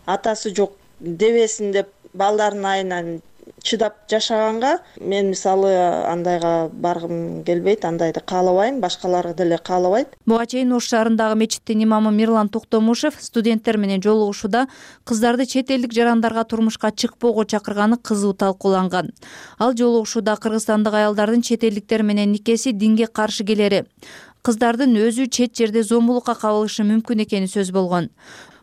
атасы жок дебесин деп балдардын айынан чыдап жашаганга мен мисалы андайга баргым келбейт, андайды каалабайм, башкалар деле каалабайт. Буга чейин Ош шаарындагы мечиттин имамы Мирлан Токтомушев студенттер менен жолугушууда кыздарды чет элдик жарандарга турмушка чыкпоого чакырганы кызуу талкууланган. Ал жолугушууда кыргызстандык аялдардын чет элдиктер менен никеси динге каршы келери, кыздардын өзү чет жерде зомбулукка кабылышы мүмкүн экени сөз болгон.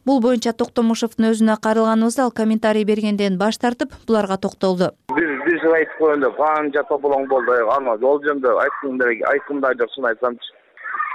Бул боюнча Токтомушевдун өзүнө кайрылганыбызда ал комментарий бергенден баш тартып, буларга токтолду. Биз биз айтып койгондо канча тополоң болду, ана жол жөнүндө айткым айткымда жок, шын айтсамчы.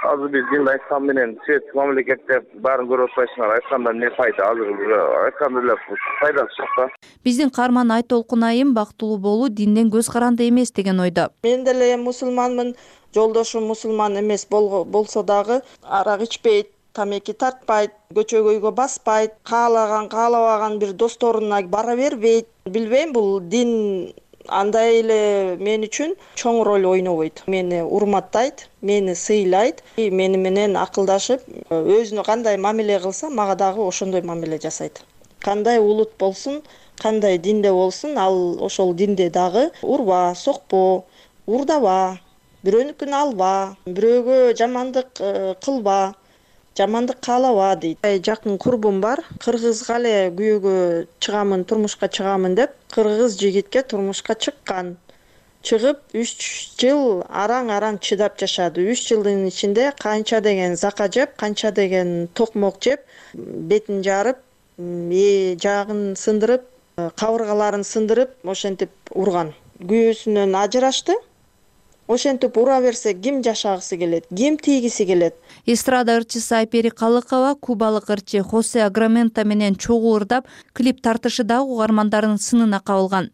азыр биз динди айткан менен светтик мамлекетте баарын көрүп атпайсыңар, айтканда эмне пайда? Азыр уже айтканда эле пайдасы жок да. Биздин каарман Айтолкун айым бактылуу болуу динден көз каранды эмес деген ойдо. Мен деле мусулманмын, жолдошум мусулман эмес болсо дагы арак ичпейт, тамеки тартпайт, көчөгө үйгө баспайт, каалаган каалабаган бир досторуна бара бербейт. Билбейм, бул дин андай эле мен үчүн чоң роль ойнобойт. Мени урматтайт, мени сыйлайт, мени менен акылдашып, өзүнө кандай мамиле кылса, мага дагы ошондой мамиле жасайт. Кандай улут болсун, кандай динде болсун, ал ошол динде дагы урба, сокпо, урдаба, бирөөнүкүн алба, бирөөгө жамандык кылба, жамандык каалаба дейт. Жакын курбум бар, кыргызга эле күйөөгө чыгамын, турмушка чыгамын деп, кыргыз жигитке турмушка чыккан. Чыгып үч жыл араң-араң чыдап жашады. үч жылдын ичинде канча деген зака жеп, канча деген токмок жеп, бетин жарып, жагын сындырып, кабыргаларын сындырып, ошентип урган. Күйөөсүнөн ажырашты. Ошентип ура берсе, ким жашагысы келет, ким тийгиси келет? Эстрада ырчысы Айпери Калыкова кубалык ырчы Хосе Аграменто менен чогуу ырдап, клип тартышыдагы угармандардын сынына кабылган.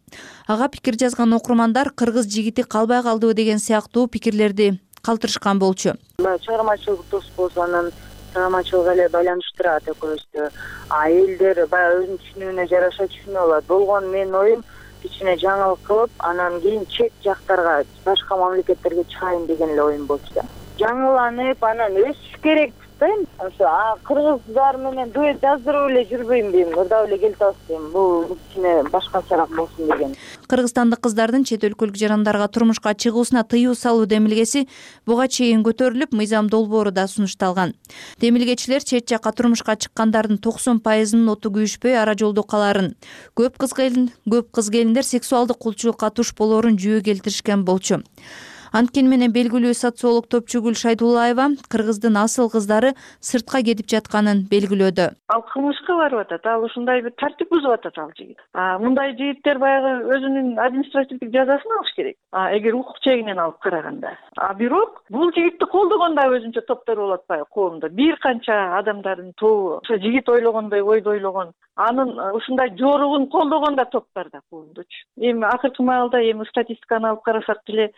Ага пикир жазган окурмандар кыргыз жигити калбай калдыбы деген сыяктуу пикирлерди калтырышкан болчу. Чыгармачылык дос болсо, анан чыгармачылык эле байланыштырат экөөбүздү. А элдер баягы өзүнүн түшүнүүнө жараша түшүнүп алат. Болгон менин оюм кичине жаңылык кылып, анан кийин чет жактарга, башка мамлекеттерге чыгайын деген эле оюм болчу да. Жаңыланып, анан өсүш керек дейм. Ошо кыргыздар менен дуэт жаздырып эле жүрбөйм дейм, ырдап эле келип атат дейм. Бул кичине башкачараак болсун деген. Кыргызстандык кыздардын чет өлкөлүк жарандарга турмушка чыгуусуна тыюу салуу демилгеси буга чейин көтөрүлүп, мыйзам долбоору да сунушталган. Демилгечилер чет жакка турмушка чыккандардын токсон пайызынын оту күйүшпөй ара жолдо каларын, көп кыз келин, көп кыз келиндер сексуалдык кулчулукка туш болоорун жүйө келтиришкен болчу. Анткени менен белгилүү социолог Топчугүл Шайдуллаева кыргыздын асыл кыздары сыртка кетип жатканын белгилөөдө. Ал кылмышка барып атат, ал ушундай бир тартип бузуп атат ал жигит. А мындай жигиттер баягы өзүнүн административдик жазасын алыш керек. А эгер укук чегинен алып караганда. А бирок бул жигитти колдогон да өзүнчө топтор болот атпайбы коомдо. Бир канча адамдардын тобу ошо жигит ойлогондой ойду ойлогон, анын ушундай жоругун колдогон да топ бар да коомдочу. Эми акыркы маалда эми статистиканы алып карасак деле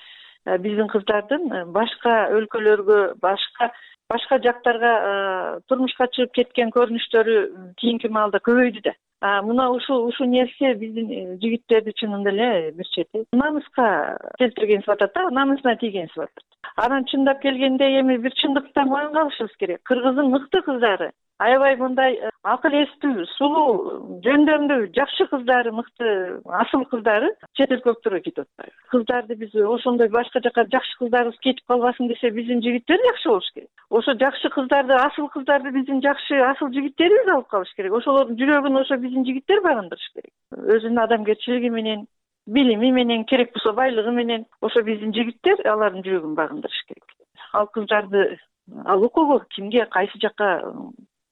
биздин кыздардын башка өлкөлөргө, башка башка жактарга турмушка чыгып кеткен көрүнүштөрү кийинки маалда көбөйдү да. А мына ушул ушул нерсе биздин жигиттерди чынында эле бир чети намыска келтирген сыпатат да, намысына тийген сыпатат. Анан чындап келгенде эми бир чындыкта моюнга алышыбыз керек. Кыргыздын мыкты кыздары, аябай мындай акыл эстүү, сулуу, жөндөмдүү, жакшы кыздары, мыкты, асыл кыздары чет өлкөлүктөргө кетип атпайбы. Кыздарды биз ошондой башка жака жакшы кыздарыбыз кетип калбасын десе, биздин жигиттер жакшы болуш керек. Ошо жакшы кыздарды, асыл кыздарды биздин жакшы асыл жигиттерибиз алып калыш керек. Ошолордун жүрөгүн ошо биздин жигиттер багындырыш керек. Өзүнүн адамгерчилиги менен, билими менен, керек болсо байлыгы менен ошо биздин жигиттер алардын жүрөгүн багындырыш керек. Ал кыздарды, ал укугу кимге, кайсы жакка,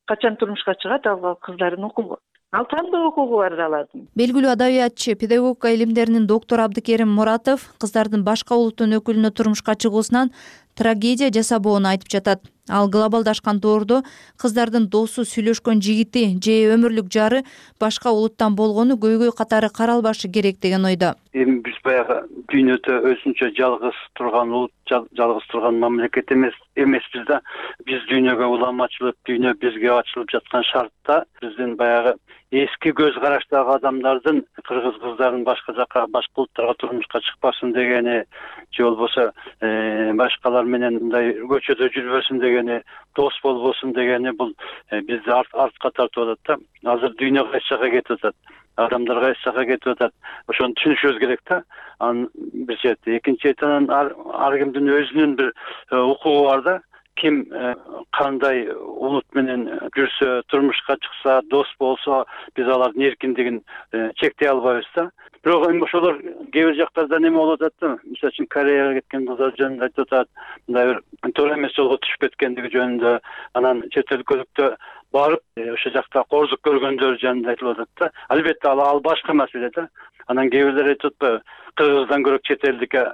качан турмушка чыгат, ал кыздардын укугу. Ал тандоо укугу бар алардын. Белгилүү адабиятчы, педагогика илимдеринин доктору Абдыкерим Муратов кыздардын башка улуттун өкүлүнө турмушка чыгуусунан трагедия жасабоону айтып жатат. Ал глобалдашкан доордо кыздардын досу, сүйлөшкөн жигити же өмүрлүк жары башка улуттан болгону көйгөй катары каралбашы керек деген ойдо. Эми биз баягы дүйнөдө өзүнчө жалгыз турган улут, жалгыз турган мамлекет эмес эмеспиз да. Биз дүйнөгө улам ачылып, дүйнө бизге ачылып жаткан шартта биздин баягы эски көз караштагы адамдардын кыргыз кыздарын башка жака, башка улуттарга турмушка чыкпасын дегени, же болбосо башкалар менен мындай көчөдө жүрбөсүн дегени, дос болбосун дегени, бул бизди артка тартып атат да. Азыр дүйнө кайсы жака кетип атат, адамдар кайсы жака кетип атат. Ошону түшүнүшүбүз керек да. Анын бир чети, экинчи четинен ар кимдин өзүнүн бир укугу бар да. Ким кандай улут менен жүрсө, турмушка чыкса, дос болсо, биз алардын эркиндигин чектей албайбыз да. Бирок эми ошолор кээ бир жактарда неме болуп атат да. Мисалы үчүн Кореяга кеткен кыздар жөнүндө айтып атат, мындай бир туура эмес жолго түшүп кеткендиги жөнүндө, анан чет өлкөлүктө барып, ошол жакта кордук көргөндөр жөнүндө айтылып атат да. Албетте ал башка маселе да. Анан кээ бирлер айтып атпайбы, кыргыздан көрө чет элдикке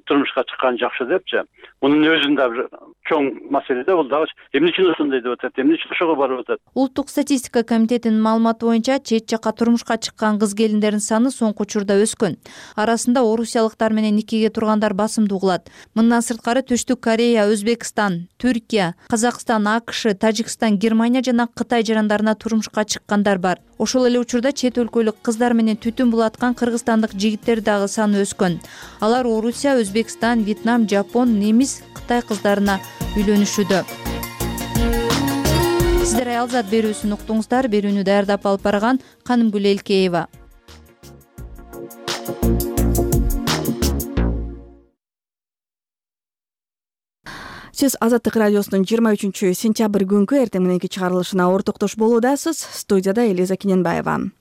турмушка чыккан жакшы депчи. Мунун өзүндө бир чоң маселе да бул дагы. Эмне үчүн ошондой деп атат, эмне үчүн ошого барып атат? Улуттук статистика комитетинин маалыматы боюнча чет жакка турмушка чыккан кыз келиндердин саны соңку учурда өскөн. Арасында орусиялыктар менен никеге тургандар басымдуу кылат. Мындан сырткары Түштүк Корея, Өзбекстан, Түркия, Казакстан, АКШ, Тажикстан, Германия жана Кытай жарандарына турмушка чыккандар бар. Ошол эле учурда чет өлкөлүк кыздар менен түтүн булаткан кыргызстандык жигиттер дагы саны өскөн. Алар Орусия, Өзбекстан, Вьетнам, Жапон, немис, Кытай кыздарына үйлөнүшүүдө. Сиздер Аялзат берүүсүн уктуңуздар. Берүүнү даярдап алып барган Канымгүл Элкеева. Сиз Азаттык радиосунун жыйырма үчүнчү сентябрь күнкү эртең мененки чыгарылышына ортоктош болуудасыз. Студияда Элиза Кененбаева.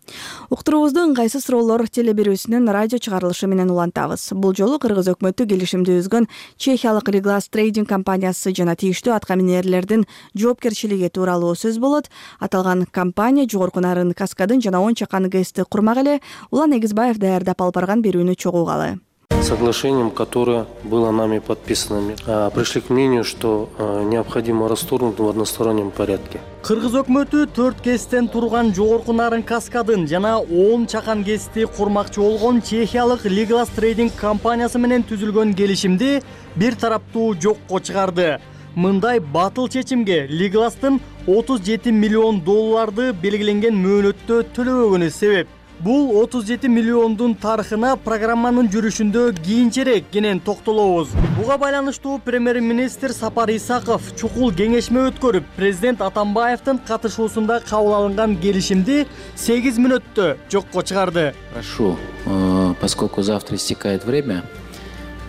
Уктуруубузду ыңгайсыз суроолор теле берүүсүнүн радио чыгарылышы менен улантабыз. Бул жолу Кыргыз өкмөтү келишимди үзгөн Чехиялык Leglast Trading компаниясы жана тийиштүү аткаминерлердин жоопкерчилиги тууралуу сөз болот. Аталган компания жогорку нарын каскадын жана он чакан гэсти курмак эле. Улан Эгизбаев даярдап алып барган берүүнү чогуугалы. Соглашением, которое было нами подписано, пришли к мнению, что необходимо расторгнуть в одностороннем порядке. Кыргыз өкмөтү төрт кестен турган жогорку нарын каскадын жана он чакан кести курмакчы болгон Чехиялык Leglast Trading компаниясы менен түзүлгөн келишимди бир тараптуу жокко чыгарды. Мындай батыл чечимге Leglast'ын отуз жети миллион долларды белгиленген мөөнөттө төлөбөгөнү себеп. Бул отуз жети миллиондун тарыхына программанын жүрүшүндө кийинчерээк кенен токтолобуз. Буга байланыштуу премьер-министр Сапар Исаков чукул кеңешме өткөрүп, президент Атамбаевдин катышуусунда кабыл алынган келишимди сегиз мүнөттө жокко чыгарды. Прошу, поскольку завтра истекает время,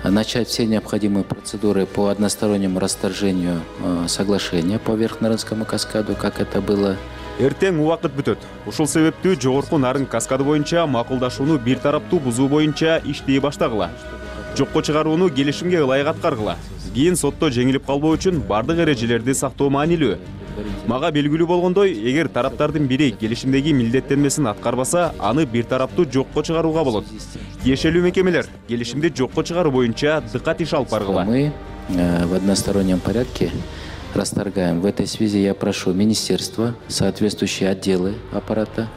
начать все необходимые процедуры по одностороннему расторжению соглашения по Верхнарынскому каскаду, как это было. Эртең убакыт бүтөт. Ушул себептүү жогорку нарын каскады боюнча макулдашууну бир тараптуу бузуу боюнча иштей баштагыла. Жокко чыгарууну келишимге ылайык аткаргыла. Кийин сотто жеңилип калбоо үчүн бардык эрежелерди сактоо маанилүү. Мага белгилүү болгондой, эгер тараптардын бири келишимдеги милдеттенмесин аткарбаса, аны бир тараптуу жокко чыгарууга болот. Тиешелүү мекемелер келишимди жокко чыгаруу боюнча дыкат иш алып баргыла. Мы в одностороннем порядке расторгаем. В этой связи я прошу министерства, соответствующие отделы аппарата.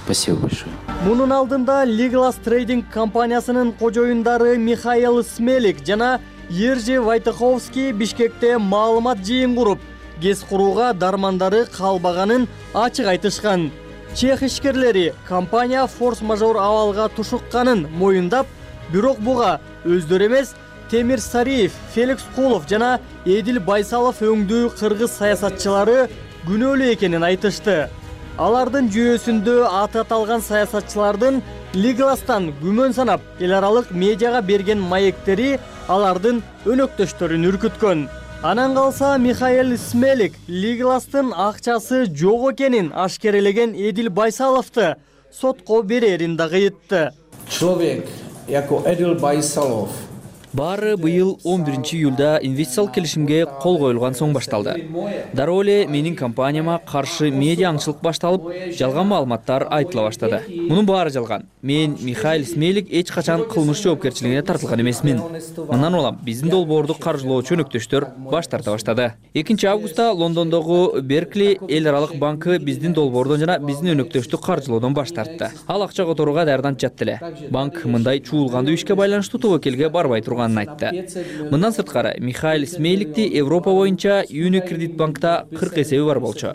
Спасибо большое. Мунун алдында Leglast Trading компаниясынын кожоюндары Михаил Смелик жана Ержи Вайтаховский Бишкекте маалымат жыйын куруп, кес курууга дармандары калбаганын ачык айтышкан. Чех ишкерлери компания форс-мажор абалга тушукканын моюндап, бирок буга өздөрү эмес, Темир Сариев, Феликс Кулов жана Эдил Байсалов өңдүү кыргыз саясатчылары күнөөлүү экенин айтышты. Алардын жүйөсүндө аты аталган саясатчылардын Leglast'тан күмөн санап, эл аралык медиага берген маектери алардын өнөктөштөрүн үркүткөн. Анан калса Михаил Смелик Leglast'тын акчасы жок экенин ашкерелеген Эдил Байсаловду сотко берерин дагы айтты. Человек, яко Эдил Байсалов, Баары быйыл он биринчи июлда инвестициялык келишимге кол коюлган соң башталды. Дароо эле менин компанияма каршы медиа аңчылык башталып, жалган маалыматтар айтыла баштады. Мунун баары жалган. Мен Михаил Смелик эч качан кылмыш жоопкерчилигине тартылган эмесмин. Мындан улам биздин долбоорду каржылоочу өнөктөштөр баш тарта баштады. экинчи августта Лондондогу Беркли эл аралык банкы биздин долбоордон жана биздин өнөктөштү каржылоодон баш тартты. Ал акча которууга даярданып жатты эле. Банк мындай чуулгандуу ишке байланыштуу тобокелге барбай турган айтты. Мындан сырткары Михаил Смеликти Европа боюнча Unicredit банкта кырк эсеби бар болчу.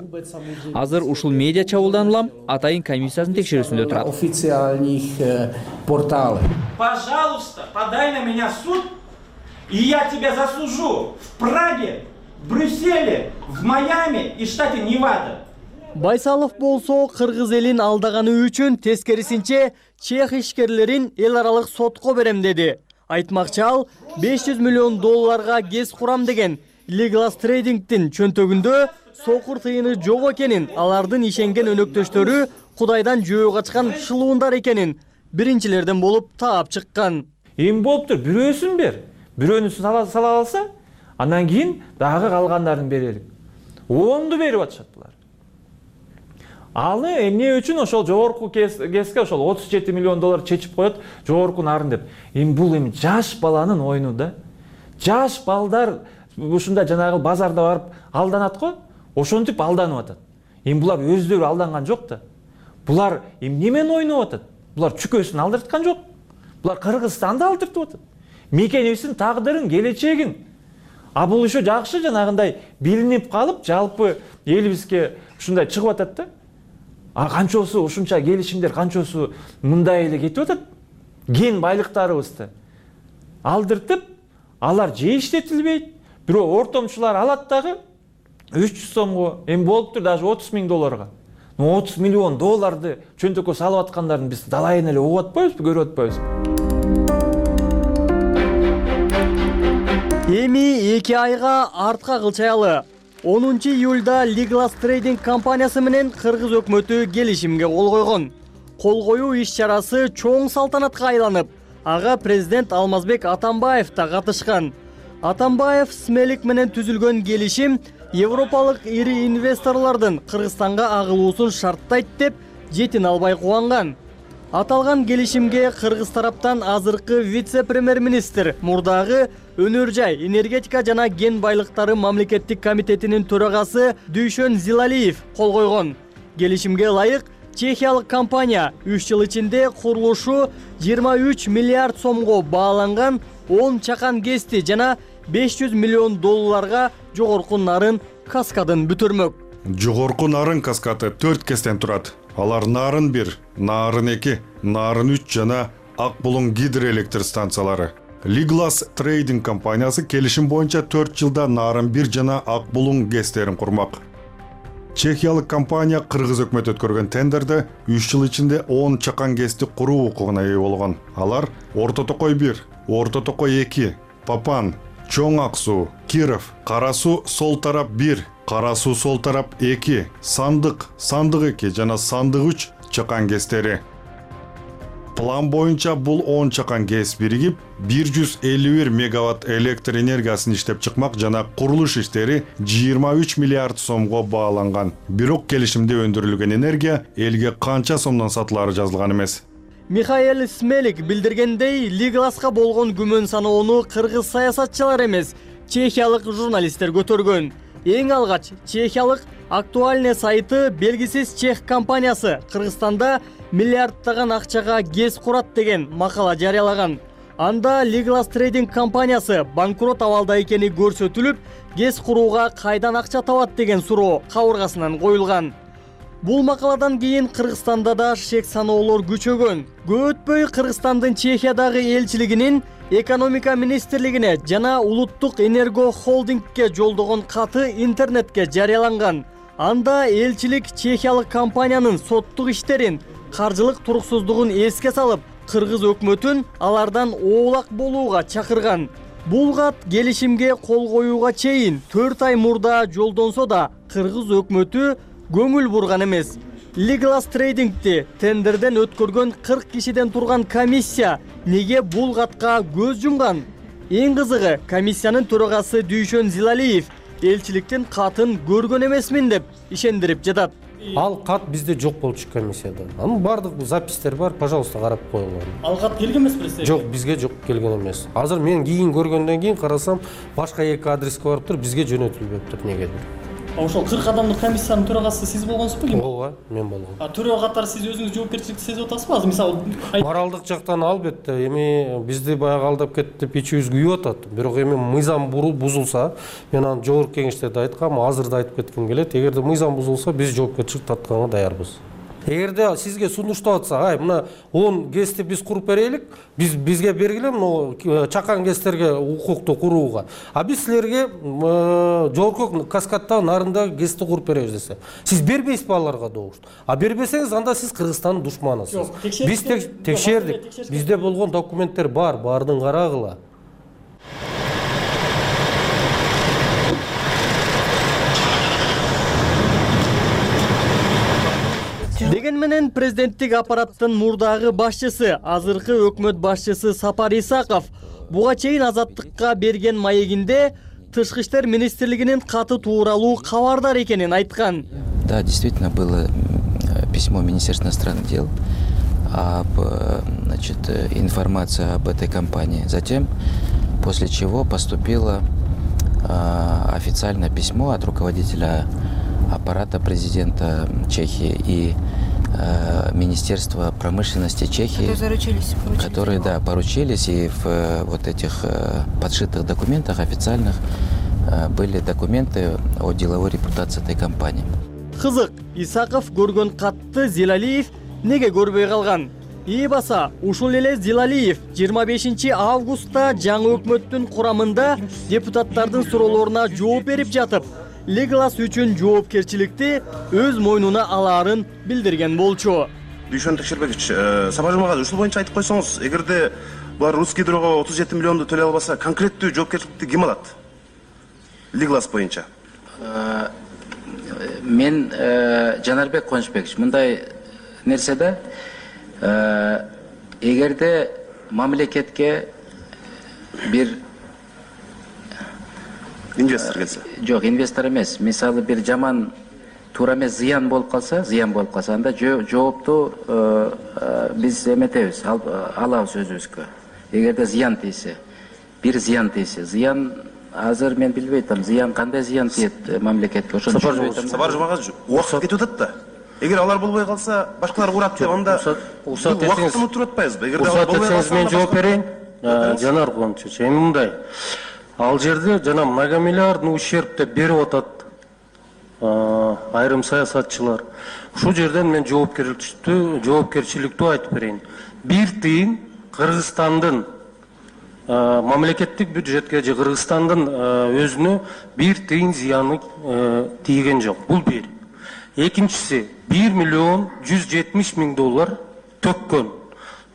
Азыр ушул медиа чабуулдан улам атайын комиссиясынын текшерүүсүндө турат. Официальных порталов. Пожалуйста, подай на меня суд, и я тебя засужу в Праге, в Брюсселе, в Майами и штате Невада. Байсалов болсо кыргыз элин алдаганы үчүн тескерисинче чех ишкерлерин эл аралык сотко берем деди. Айтмакчы ал беш жүз миллион долларга кес курам деген Leglast Trading'тин чөнтөгүндө сокур тыйыны жок экенин, алардын ишенген өнөктөштөрү Кудайдан жөө качкан шылуундар экенин биринчилерден болуп таап чыккан. Эми болуптур, бирөөсүн бер. Бирөөнү сала алса, андан кийин дагы калгандарын берелик. онду берип атышат булар. Алы эмне үчүн ошол жогорку кеске ошол отуз жети миллион доллар чечип коет, жогорку нарын деп. Эми бул эми жаш баланын оюну да. Жаш балдар ушундай жанагы базарда барып алданат го, ошентип алданып атат. Эми булар өздөрү алданган жок да. Булар эми немени ойноп атат? Булар чүкөсүн алдырткан жок. Булар Кыргызстанды алдыртып атат. Мекенибиздин тагдырын, келечегин. А бул ошо жакшы жанагындай билинип калып, жалпы элибизге ушундай чыгып атат да. А канчосу ушунча келишимдер, канчосу мындай эле кетип атат. Кен байлыктарыбызды алдыртып, алар же иштетилбейт. Бирок ортомчулар алат дагы үч жүз сомго, эми болуптур даже отуз миң долларга. отуз миллион долларды чөнтөккө салып аткандарын биз далайын эле угуп атпайбызбы, көрүп атпайбызбы? Эми эки айга артка кылчаялы. онунчу июлда Liglas Trading компаниясы менен Кыргыз өкмөтү келишимге кол койгон. Кол коюу иш-чарасы чоң салтанатка айланып, ага президент Алмазбек Атамбаев да катышкан. Атамбаев Смелик менен түзүлгөн келишим Европалык ири инвесторлордун Кыргызстанга агылуусун шарттайт деп жетин албай кубанган. Аталган келишимге Кыргыз тараптан азыркы вице-премьер-министр, мурдагы Өнөр жай, энергетика жана кен байлыктары мамлекеттик комитетинин төрагасы Дүйшөн Зилалиев кол койгон. Келишимге ылайык чехиялык компания үч жыл ичинде курулушу жыйырма үч миллиард сомго бааланган он чакан гести жана беш жүз миллион долларга жогорку нарын каскадын бүтүрмөк. Жогорку нарын каскаты төрт кестен турат. Алар нарын бир, нарын эки, нарын үч жана Ак Булуң гидроэлектр станциялары. Liglas Trading компаниясы келишим боюнча төрт жылда нарын бир жана Ак Булуң гестерин курмак. Чехиялык компания Кыргыз өкмөтү өткөргөн тендерде үч жыл ичинде он чакан гести куруу укугуна ээ болгон. Алар Орто Токой бир, Орто Токой эки, Папан, Чоң Ак Суу, Киров, Кара Суу сол тарап бир, Кара Суу сол тарап эки, Сандык, Сандык эки жана Сандык үч чакан гестери. План боюнча бул он чакан гес биригип бир жүз элүү бир мегаватт электр энергиясын иштеп чыкмак жана курулуш иштери жыйырма үч миллиард сомго бааланган. Бирок келишимде өндүрүлгөн энергия элге канча сомдон сатылары жазылган эмес. Михаил Смелик билдиргендей, Liglas'ка болгон күмөн саноону кыргыз саясатчылар эмес, чехиялык журналисттер көтөргөн. Эң алгач чехиялык Актуальный сайты белгисиз чех компаниясы Кыргызстанда миллиардтаган акчага гез курат деген макала жарыялаган. Анда Liglas Trading компаниясы банкрот абалда экени көрсөтүлүп, гез курууга кайдан акча табат деген суроо кабыргасынан коюлган. Бул макаладан кийин Кыргызстанда да шек саноолор күчөгөн. Көп өтпөй Кыргызстандын Чехиядагы элчилигинин экономика министрлигине жана улуттук энерго холдингке жолдогон каты интернетке жарыяланган. Анда элчилик чехиялык компаниянын соттук иштерин, каржылык туруксуздугун эске салып, Кыргыз өкмөтүн алардан оолак болууга чакырган. Бул кат келишимге кол коюуга чейин төрт ай мурда жолдонсо да Кыргыз өкмөтү көңүл бурган эмес. Liglas Trading'ти тендерден өткөргөн кырк кишиден турган комиссия неге бул катка көз жумган? Эң кызыгы, комиссиянын төрагасы Дүйшөн Зилалиев элчиликтин катын көргөн эмесмин деп ишендирип жатат. Ал кат бизде жок болчу комиссияда. Анын бардык запистер бар, пожалуйста карап коюңар. Ал кат келген эмес президент? Жок, бизге жок келген эмес. Азыр мен кийин көргөндөн кийин карасам, башка эки адреске барыптыр, бизге жөнөтүлбөптүр негедир. Ошол кырк адамдык комиссиянын төрагасы сиз болгонсузбу? Ооба, мен болгом. А төрага катары сиз өзүңүз жоопкерчиликти сезип атасызбы? Азыр мисалы моралдык жактан албетте, эми бизди баягы алдап кетти деп ичибиз күйүп атат. Бирок эми мыйзам бузулса, мен аны жогорку кеңеште да айткам, азыр да айтып кетким келет. Эгерде мыйзам бузулса, биз жоопкерчилик тартканга даярбыз. Эгерде сизге сунуштап атса, ай мына он гести биз куруп берелик, биз бизге бергиле мына чакан гестерге укукту курууга. А биз силерге жогорку каскадта нарында гести куруп беребиз десе. Сиз бербейсизби аларга добуш? А бербесеңиз анда сиз Кыргызстандын душманысыз. Биз текшердик. Бизде болгон документтер бар, баардыгын карагыла. Деген менен президенттик аппараттын мурдагы башчысы, азыркы өкмөт башчысы Сапар Исаков буга чейин Азаттыкка берген маегинде Тышкы иштер министрлигинин каты тууралуу кабардар экенин айткан. Да, действительно было письмо Министерства иностранных дел об, значит, информация об этой компании. Затем, после чего поступило официальное письмо от руководителя аппарата президента Чехии и Министерства промышленности Чехии, которые, заручились, которые да, поручились, и в вот этих подшитых документах официальных были документы о деловой репутации этой компании. Кызык, Исаков көргөн катты Зилалиев неге көрбөй калган? И баса, ушул эле Зилалиев жыйырма бешинчи августта жаңы өкмөттүн курамында депутаттардын суроолоруна жооп берип жатып, Legolas үчүн жоопкерчиликти өз мойнуна алаарын билдирген болчу. Дүйшөн Текшербекович, Сапар Жумагазов, ушул боюнча айтып койсоңуз, эгерде булар Русский Гидрого отуз жети миллионду төлөй албаса, конкреттүү жоопкерчиликти ким алат? Legolas боюнча. Мен Жанарбек Кончбекович, мындай нерсе да, эгерде мамлекетке бир инвестор келсе. Жок, инвестор эмес. Мисалы бир жаман туура эмес зыян болуп калса, зыян болуп калса, анда жоопту биз эметебиз, алабыз өзүбүзгө. Эгерде зыян тийсе, бир зыян тийсе, зыян азыр мен билбей атам, зыян кандай зыян тиет мамлекетке? Ошону түшүнбөй атам. Сапар Жумагазов, убакыт кетип атат да. Эгер алар болбой калса, башкалар урат деп, анда убакытты унутуп атпайбызбы? Эгерде алар болбой калса, мен жооп берейин. Жанар Кончевич, эми мындай. Ал жерде жана многомиллиардный ущерб деп берип атат айрым саясатчылар. Ушул жерден мен жоопкерчиликтүү, жоопкерчиликтүү айтып берейин. Бир тыйын Кыргызстандын мамлекеттик бюджетке же Кыргызстандын өзүнө бир тыйын зыяны тийген жок. Бул бир. Экинчиси, бир миллион жүз жетимиш миң доллар төккөн.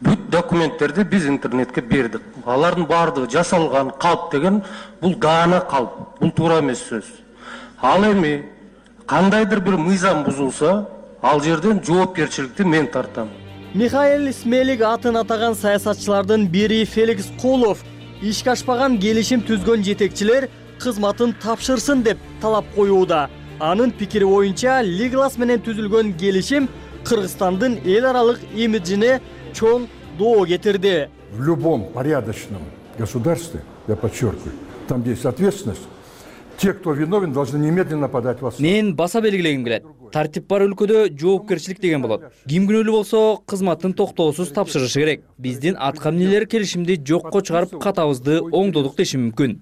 Бүт документтерди биз интернетке бердик. Алардын баардыгы жасалган калп деген, бул даана калп. Бул туура эмес сөз. Ал эми кандайдыр бир мыйзам бузулса, ал жерден жоопкерчиликти мен тартам. Михаил Смелик атын атаган саясатчылардын бири Феликс Колов ишке ашпаган келишим түзгөн жетекчилер кызматын тапшырсын деп талап коюуда. Анын пикири боюнча Legolas менен түзүлгөн келишим Кыргызстандын эл аралык имиджине чоң доо кетирди. В любом порядочном государстве, я подчеркиваю, там есть ответственность. Те, кто виновен, должны немедленно подать в суд. Мен баса белгилегим келет. Тартип бар өлкөдө жоопкерчилик деген болот. Ким күнөөлүү болсо, кызматын токтоосуз тапшырышы керек. Биздин атка эмнелер келишимди жокко чыгарып катабызды оңдодук деши мүмкүн.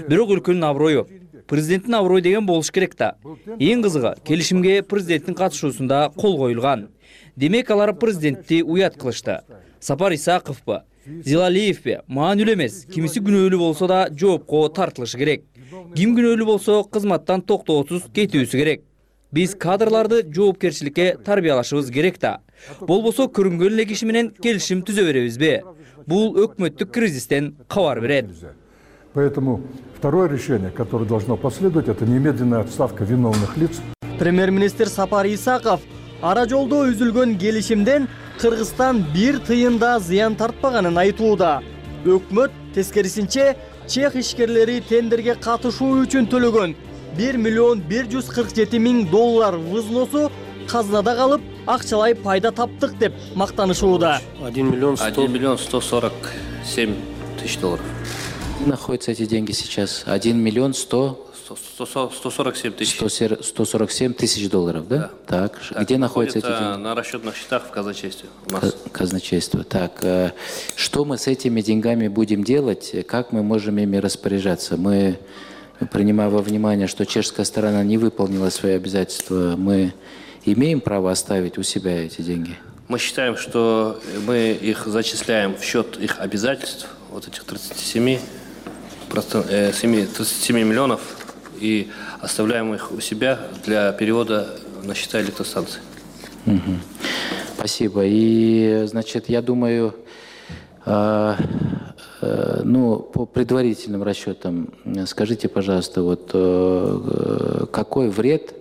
Бирок өлкөнүн аброю, президенттин аброю деген болуш керек да. Эң кызыгы, келишимге президенттин катышуусунда кол коюлган. Демек алар президентти уят кылышты. Сапар Исаковпу, Зилалиевпи маанилүү эмес, кимиси күнөөлүү болсо да жоопко тартылышы керек. Ким күнөөлүү болсо кызматтан токтоосуз кетүүсү керек. Биз кадрларды жоопкерчиликке тарбиялашыбыз керек да. Болбосо көрүнгөн эле киши менен келишим түзө беребизби? Бул өкмөттүк кризистен кабар берет. Поэтому второе решение, которое должно последовать, это немедленная отставка виновных лиц. Премьер-министр Сапар Исаков ара жолдо үзүлгөн келишимден Кыргызстан бир тыйында зыян тартпаганын айтууда. Өкмөт тескерисинче чех ишкерлери тендерге катышуу үчүн төлөгөн бир миллион бир жүз кырк жети миң доллар взносу казынада калып, акчалай пайда таптык деп мактанышууда. один миллион сто сорок семь тысяч долларов. Находятся эти деньги сейчас? один миллион сто сто сорок семь тысяч. сто сорок семь тысяч долларов, да? Да. Так, так, где находятся эти деньги? На расчетных счетах в казначействе. У нас. Казначейство. Так, что мы с этими деньгами будем делать? Как мы можем ими распоряжаться? Мы, принимая во внимание, что чешская сторона не выполнила свои обязательства, мы имеем право оставить у себя эти деньги? Мы считаем, что мы их зачисляем в счет их обязательств, вот этих тридцати семи миллионов, и оставляем их у себя для перевода на счета электростанций. Угу. Спасибо. И, значит, я думаю, э, э, ну, по предварительным расчетам, скажите, пожалуйста, вот э, какой вред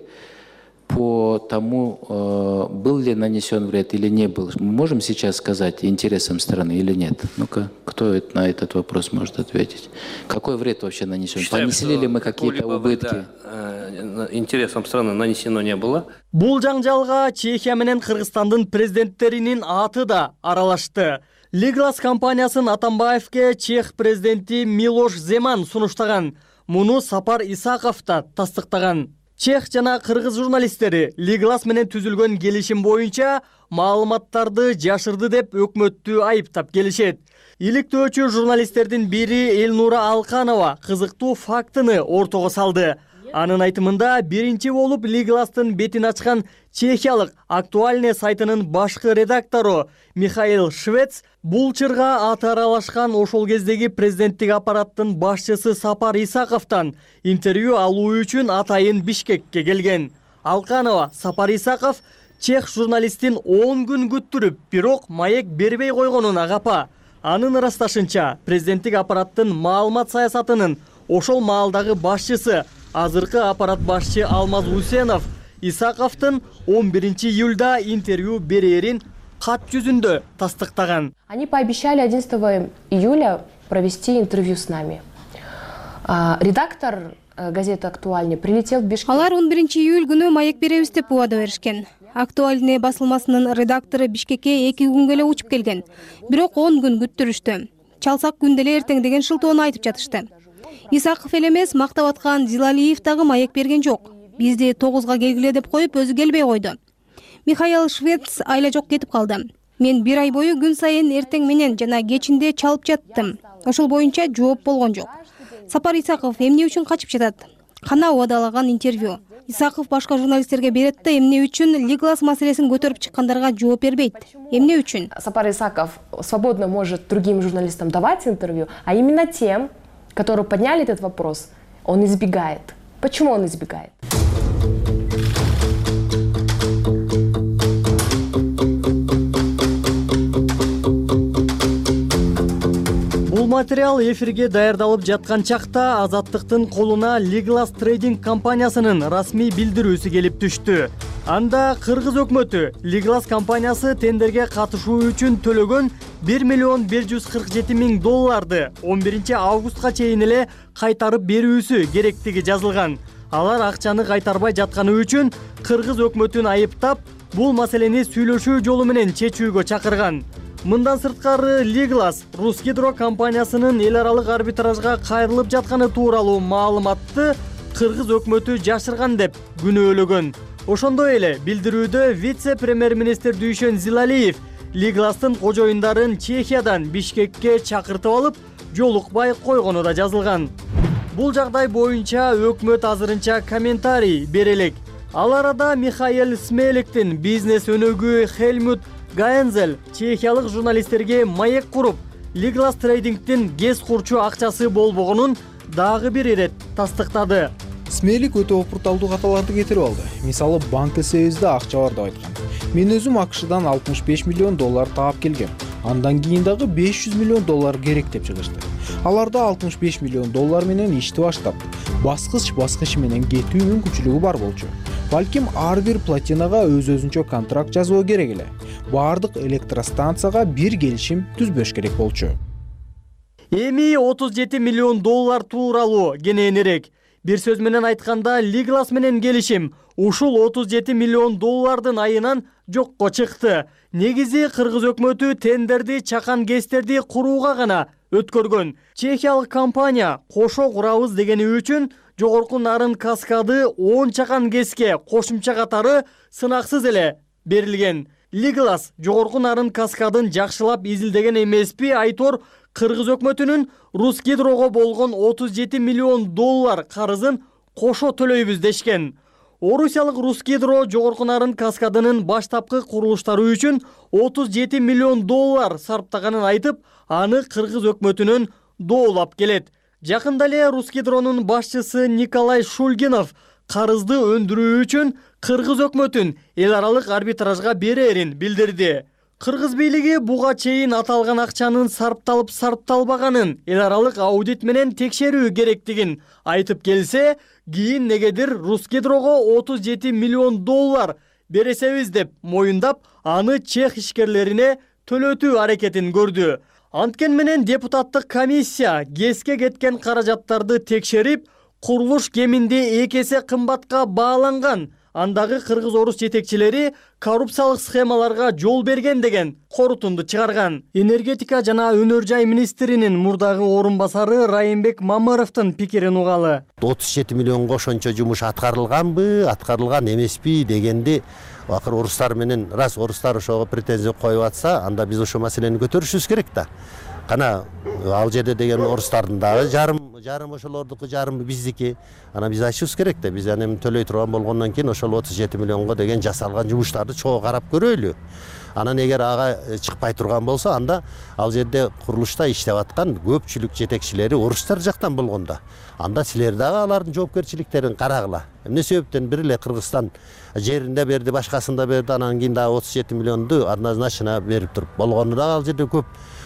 по тому, э, был ли нанесен вред или не был? Мы можем сейчас сказать интересам страны или нет? Ну-ка, кто на этот вопрос может ответить? Какой вред вообще нанесен? Считаем, Понесли ли мы какие-то убытки? Да, э, интересам страны нанесено не было. Бул жаңжалга Чехия менен Кыргызстандын президенттеринин аты да аралашты. Liglaz компаниясын Атамбаевке чех президенти Милош Земан сунуштаган. Муну Сапар Исаков да тастыктаган. Чех жана кыргыз журналисттери Liglaz менен түзүлгөн келишим боюнча маалыматтарды жашырды деп өкмөттү айыптап келишет. Иликтөөчү журналисттердин бири Элнура Алканова кызыктуу фактыны ортого салды. Анын айтымында биринчи болуп Liglaz'тын бетин ачкан чехиялык Актуальный сайтынын башкы редактору Михаил Швец бул чырга аты аралашкан ошол кездеги президенттик аппараттын башчысы Сапар Исаковдон интервью алуу үчүн атайын Бишкекке келген. Алканова Сапар Исаков чех журналистин он күн күттүрүп, бирок маек бербей койгонуна капа. Анын ырасташынча, президенттик аппараттын маалымат саясатынын ошол маалдагы башчысы, азыркы аппарат башчы Алмаз Усенов Исаковдун он биринчи июлда интервью берерин кат жүзүндө тастыктаган. Они пообещали одиннадцатого июля провести интервью с нами. Редактор газеты «Актуальный» прилетел в Бишкек. Алар он биринчи июль күнү маек беребиз деп убада беришкен. «Актуальный» басылмасынын редактору Бишкекке эки күнгө эле учуп келген. Бирок он күн күттүрүштү. Чалсак күндө эле эртең деген шылтоону айтып жатышты. Исаков эле эмес, мактап аткан Зилалиев дагы маек берген жок. Бизди тогузга келгиле деп коюп, өзү келбей койду. Михаил Швец айла жок кетип калды. Мен бир ай бою күн сайын эртең менен жана кечинде чалып жаттым. Ошол боюнча жооп болгон жок. Сапар Исаков эмне үчүн качып жатат? Кана убадалаган интервью. Исаков башка журналисттерге берет да эмне үчүн Liglaz маселесин көтөрүп чыккандарга жооп бербейт? Эмне үчүн? Сапар Исаков свободно может другим журналистам давать интервью, а именно тем, которые подняли этот вопрос, он избегает. Почему он избегает? Бул материал эфирге даярдалып жаткан чакта Азаттыктын колуна Liglaz Trading компаниясынын расмий билдирүүсү келип түштү. Анда кыргыз өкмөтү Liglaz компаниясы тендерге катышуу үчүн төлөгөн бир миллион бир жүз кырк жети миң долларды он биринчи августка чейин эле кайтарып берүүсү керектиги жазылган. Алар акчаны кайтарбай жатканы үчүн кыргыз өкмөтүн айыптап, бул маселени сүйлөшүү жолу менен чечүүгө чакырган. Мындан сырткары Liglaz Rusgidro компаниясынын эл аралык арбитражга кайрылып жатканы тууралуу маалыматты кыргыз өкмөтү жашырган деп күнөөлөгөн. Ошондой эле билдирүүдө вице-премьер-министр Дүйшөн Зилалиев Liglaz'тын кожоюндарын Чехиядан Бишкекке чакыртып алып, жолукпай койгону да жазылган. Бул жагдай боюнча өкмөт азырынча комментарий бере элек. Ал арада Михаил Смеликтин бизнес өнөгү Хельмут Гаензел чехиялык журналисттерге маек куруп, Liglaz Trading'тин гез курчу акчасы болбогонун дагы бир ирет тастыктады. Смелик өтө опурталдуу каталарды кетирип алды. Мисалы, банк эсебибизде акча бар деп айткан. Мен өзүм АКШдан алтымыш беш миллион доллар таап келгем. Андан кийин дагы беш жүз миллион доллар керек деп чыгышты. Аларда алтымыш беш миллион доллар менен ишти баштап, баскыч баскыч менен кетүү мүмкүнчүлүгү бар болчу. Балким ар бир платинага өз-өзүнчө контракт жазуу керек эле. Бардык электростанцияга бир келишим түзбөш керек болчу. Эми отуз жети миллион доллар тууралуу кененирээк. Бир сөз менен айтканда, Liglaz менен келишим ушул отуз жети миллион доллардын айынан жокко чыкты. Негизи кыргыз өкмөтү тендерди чакан кестерди курууга гана өткөргөн. Чехиялык компания кошо курабыз дегени үчүн жогорку нарын каскады он чакан кеске кошумча катары сынаксыз эле берилген. Liglaz жогорку нарын каскадын жакшылап изилдеген эмеспи айтор кыргыз өкмөтүнүн Rusgidro'го болгон отуз жети миллион доллар карызын кошо төлөйбүз дешкен. Орусиялык Rusgidro жогорку нарын каскадынын баштапкы курулуштары үчүн отуз жети миллион доллар сарптаганын айтып, аны кыргыз өкмөтүнөн доолап келет. Жакында эле Rusgidro'нун башчысы Николай Шульгинов карызды өндүрүү үчүн кыргыз өкмөтүн эл аралык арбитражга берерин билдирди. Кыргыз бийлиги буга чейин аталган акчанын сарпталып сарпталбаганын эл аралык аудит менен текшерүү керектигин айтып келсе, кийин негедир Rusgidro'го отуз жети миллион доллар бересебиз деп моюндап, аны чех ишкерлерине төлөтүү аракетин көрдү. Анткени менен депутаттык комиссия кеске кеткен каражаттарды текшерип, курулуш кеминде эки эсе кымбатка бааланган, андагы кыргыз-орус жетекчилери коррупциялык схемаларга жол берген деген корутунду чыгарган. Энергетика жана өнөр жай министринин мурдагы орун басары Райымбек Мамыровдун пикирин угалы. отуз жети миллионго ошончо жумуш аткарылганбы, аткарылган эмеспи дегенди акыр орустар менен, раз орустар ошого претензия коюп атса, анда биз ошол маселени көтөрүшүбүз керек да. Кана ал жерде деген орустардын дагы жарым жарым ошолордуку, жарымы биздики. Ана биз айтышыбыз керек да, биз эми төлөй турган болгондон кийин ошол отуз жети миллионго деген жасалган жумуштарды чогуу карап көрөлү. Анан эгер ага чыкпай турган болсо, анда ал жерде курулушта иштеп аткан көпчүлүк жетекчилери орустар жактан болгондо, анда силер дагы алардын жоопкерчиликтерин карагыла. Эмне себептен бир эле Кыргызстан жеринде берди, башкасында берди, анан кийин дагы отуз жети миллионду однозначно берип туруп болгону дагы ал жерде көп.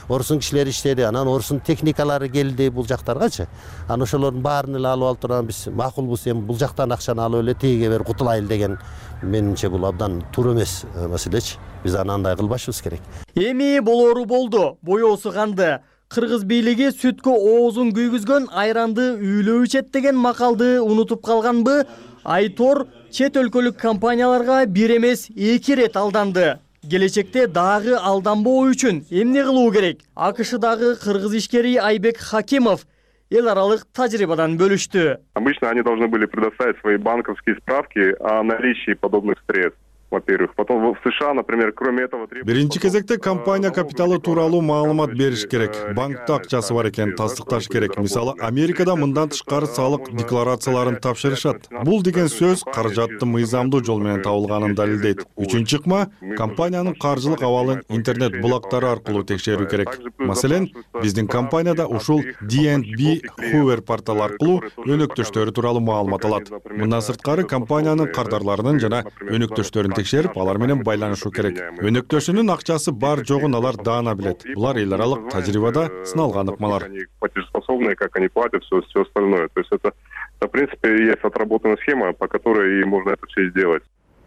Орустун кишилери иштеди, анан орустун техникалары келди бул жактаргачы. Анан ошолордун баарын эле алып алып турган биз макулбуз, эми бул жактан акчаны алып эле тегиге берип кутулайлы деген, менимче бул абдан туура эмес маселечи. Биз андай кылбашыбыз керек. Эми болору болду, боёсу канды. Кыргыз бийлиги сүткө оозун күйгүзгөн айранды үйлөө ичет деген макалды унутуп калганбы? Айтор чет өлкөлүк компанияларга бир эмес эки ирет алданды. Келечекте дагы алданбоо үчүн эмне кылуу керек? АКШдагы кыргыз ишкери Айбек Хакимов эл аралык тажрыйбадан бөлүштү. Обычно они должны были предоставить свои банковские справки о наличии подобных средств. Во-первых, потом в США, например, кроме этого требуется... Биринчи кезекте компания капиталы тууралуу маалымат бериш керек. Банкта акчасы бар экенин тастыкташ керек. Мисалы, Америкада мындан тышкары салык декларацияларын тапшырышат. Бул деген сөз каражатты мыйзамдуу жол менен табылганын далилдейт. Үчүнчү ыкма, компаниянын каржылык абалын интернет булактары аркылуу текшерүү керек. Маселен, биздин компанияда ушул ди энд би Hoover порталы аркылуу өнөктөштөрү тууралуу маалымат алат. Мындан сырткары компаниянын кардарларынын жана өнөктөштөрүн текшерип, алар менен байланышуу керек. Өнөктөшүнүн акчасы бар жогун алар даана билет. Булар эл аралык тажрыйбада сыналган ыкмалар. Платежеспособные, как они платят, все, все остальное. То есть это, в принципе, есть отработанная схема, по которой можно это все сделать.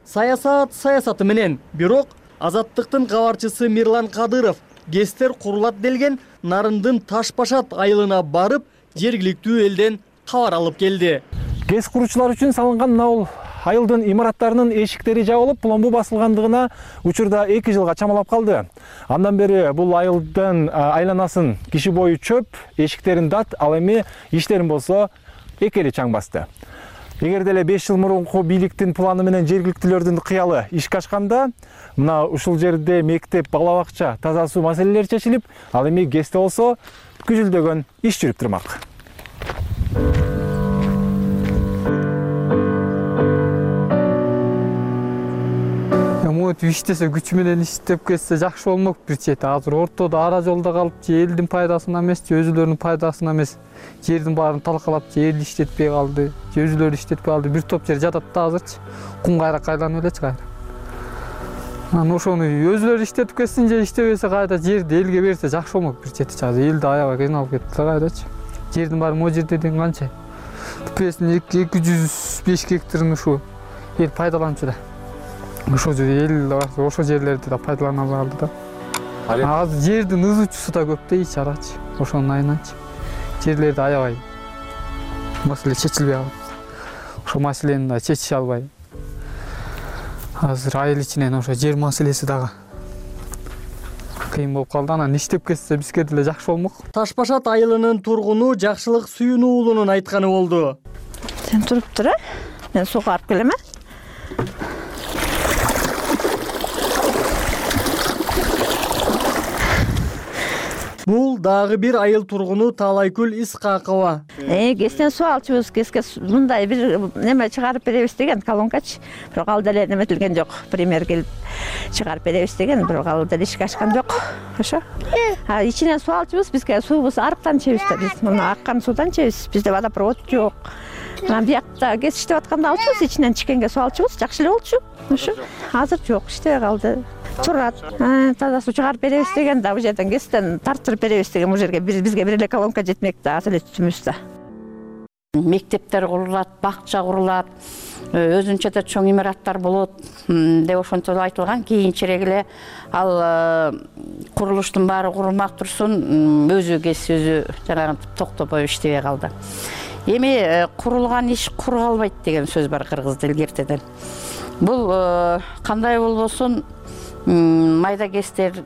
Саясат саясаты менен, бирок Азаттыктын кабарчысы Мирлан Кадыров гестер курулат делген Нарындын Таш-Башат айылына барып, жергиликтүү элден кабар алып келди. ГЭС куруучулар үчүн салынган мына айылдын имараттарынын эшиктери жабылып, пломбу басылгандыгына учурда эки жылга чамалап калды. Андан бери бул айылдын айланасын киши бою чөп, эшиктерин дат, ал эми иштерин болсо эки эле чаң басты. Эгер деле беш жыл мурунку бийликтин планы менен жергиликтүүлөрдүн кыялы ишке ашканда, мына ушул жерде мектеп, бала бакча, таза суу маселелери чечилип, ал эми ГЭСте болсо күзүлдөгөн иш жүрүп турмак. Мынтип иштесе, күч менен иштеп кетсе жакшы болмок бир чети. Азыр ортодо ара жолдо калып, же элдин пайдасына эмес, же өзүлөрүнүн пайдасына эмес, жердин баарын талкалап, же эл иштетпей калды, же өзүлөрү иштетпей калды. Бир топ жер жатат да азырчы. Кум кайрак айланып элечи кайра. Анан ошону өзүлөрү иштетип кетсин, же иштебесе кайда жерди элге берсе жакшы болмок бир чети. Азыр элди аябай кыйналып кетти кайдачы. Жердин баары могу жерде деген канча? Бүпесинин эки жүз беш гектарын ушу эл пайдаланчу да. Ошо эл ошо жерлерди да пайдалана алды да. Азыр жердин ызуучусу да көп дейчи арачы. Ошонун айынан жерлерди аябай маселе чечилбей калат. Ошо маселени да чечише албай. Азыр айыл ичинен ошо жер маселеси дагы кыйын болуп калды. Анан иштеп кетсе бизге деле жакшы болмок. Таш-Башат айылынын тургуну Жакшылык Сүйүн уулунун айтканы болду. Сен туруп тур, а? Мен суу карып келем, а? Бул дагы бир айыл тургуну Таалайкүл Исқакова. Э, ГЭСтен суу алчубуз, ГЭСке мындай бир неме чыгарып беребиз деген колонкачы. Бирок ал деле неметилген жок. Премьер келип чыгарып беребиз деген, бирок ал деле ишке ашкан жок. Ошо. А ичинен суу алчубуз, бизге суубуз арыктан чебиз да, биз мына аккан суудан чебиз. Бизде водопровод жок. Анан биякта ГЭС иштеп атканда алчубуз, ичинен чикенге суу алчубуз, жакшы эле болчу. Ошо. Азыр жок, иштебей калды. Турат. Таза суу чыгарып беребиз деген да, бул жерден ГЭСтен тартырып беребиз деген, бул жерге бизге бир эле колонка жетмек да, азыр эле түтүмүз да. Мектептер курулат, бакча курулат, өзүнчө да чоң имараттар болот деп ошентип айтылган. Кийинчерээк эле ал курулуштун баары курулмак турсун, өзү ГЭС өзү жанагы токтобой иштебей калды. Эми курулган иш куру калбайт деген сөз бар кыргыз тилге ертеден. Бул кандай болбосун майда кестер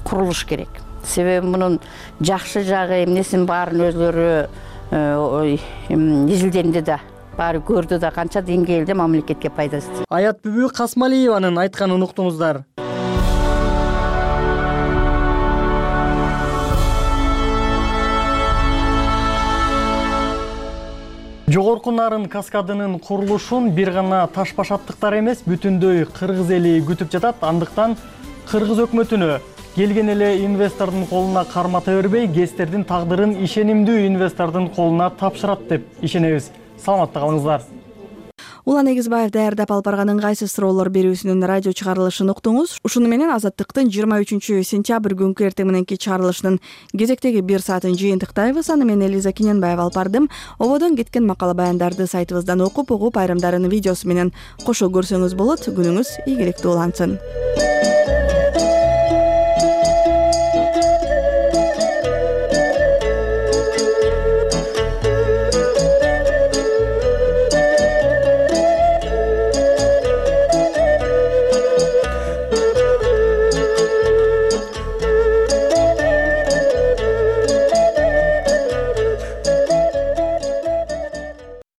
курулуш керек. Себеби мунун жакшы жагы эмнесин баарын өзлөрү изилденди да, баары көрдү да, канча деңгээлде мамлекетке пайдасы. Аят Бүбү Касмалиеванын айтканын уктуңуздар. Жогорку Нарын каскадынын курулушун бир гана таш башаттыктар эмес, бүтүндөй кыргыз эли күтүп жатат. Андыктан кыргыз өкмөтүнө келген эле инвестордун колуна кармата бербей, ГЭСтердин тагдырын ишенимдүү инвестордун колуна тапшырат деп ишенебиз. Саламатта калыңыздар. Улан Эгизбаев даярдап алып барган ыңгайсыз суроолор берүүсүнүн радио чыгарылышын уктуңуз. Ушуну менен Азаттыктын жыйырма үчүнчү сентябрь күнкү эртең мененки чыгарылышынын кезектеги бир саатын жыйынтыктайбыз. Аны мен Элиза Кененбаева алып бардым. Ободон кеткен макала баяндарды сайтыбыздан окуп, угуп, айрымдарын видеосу менен кошо көрсөңүз болот. Күнүңүз ийгиликтүү улансын.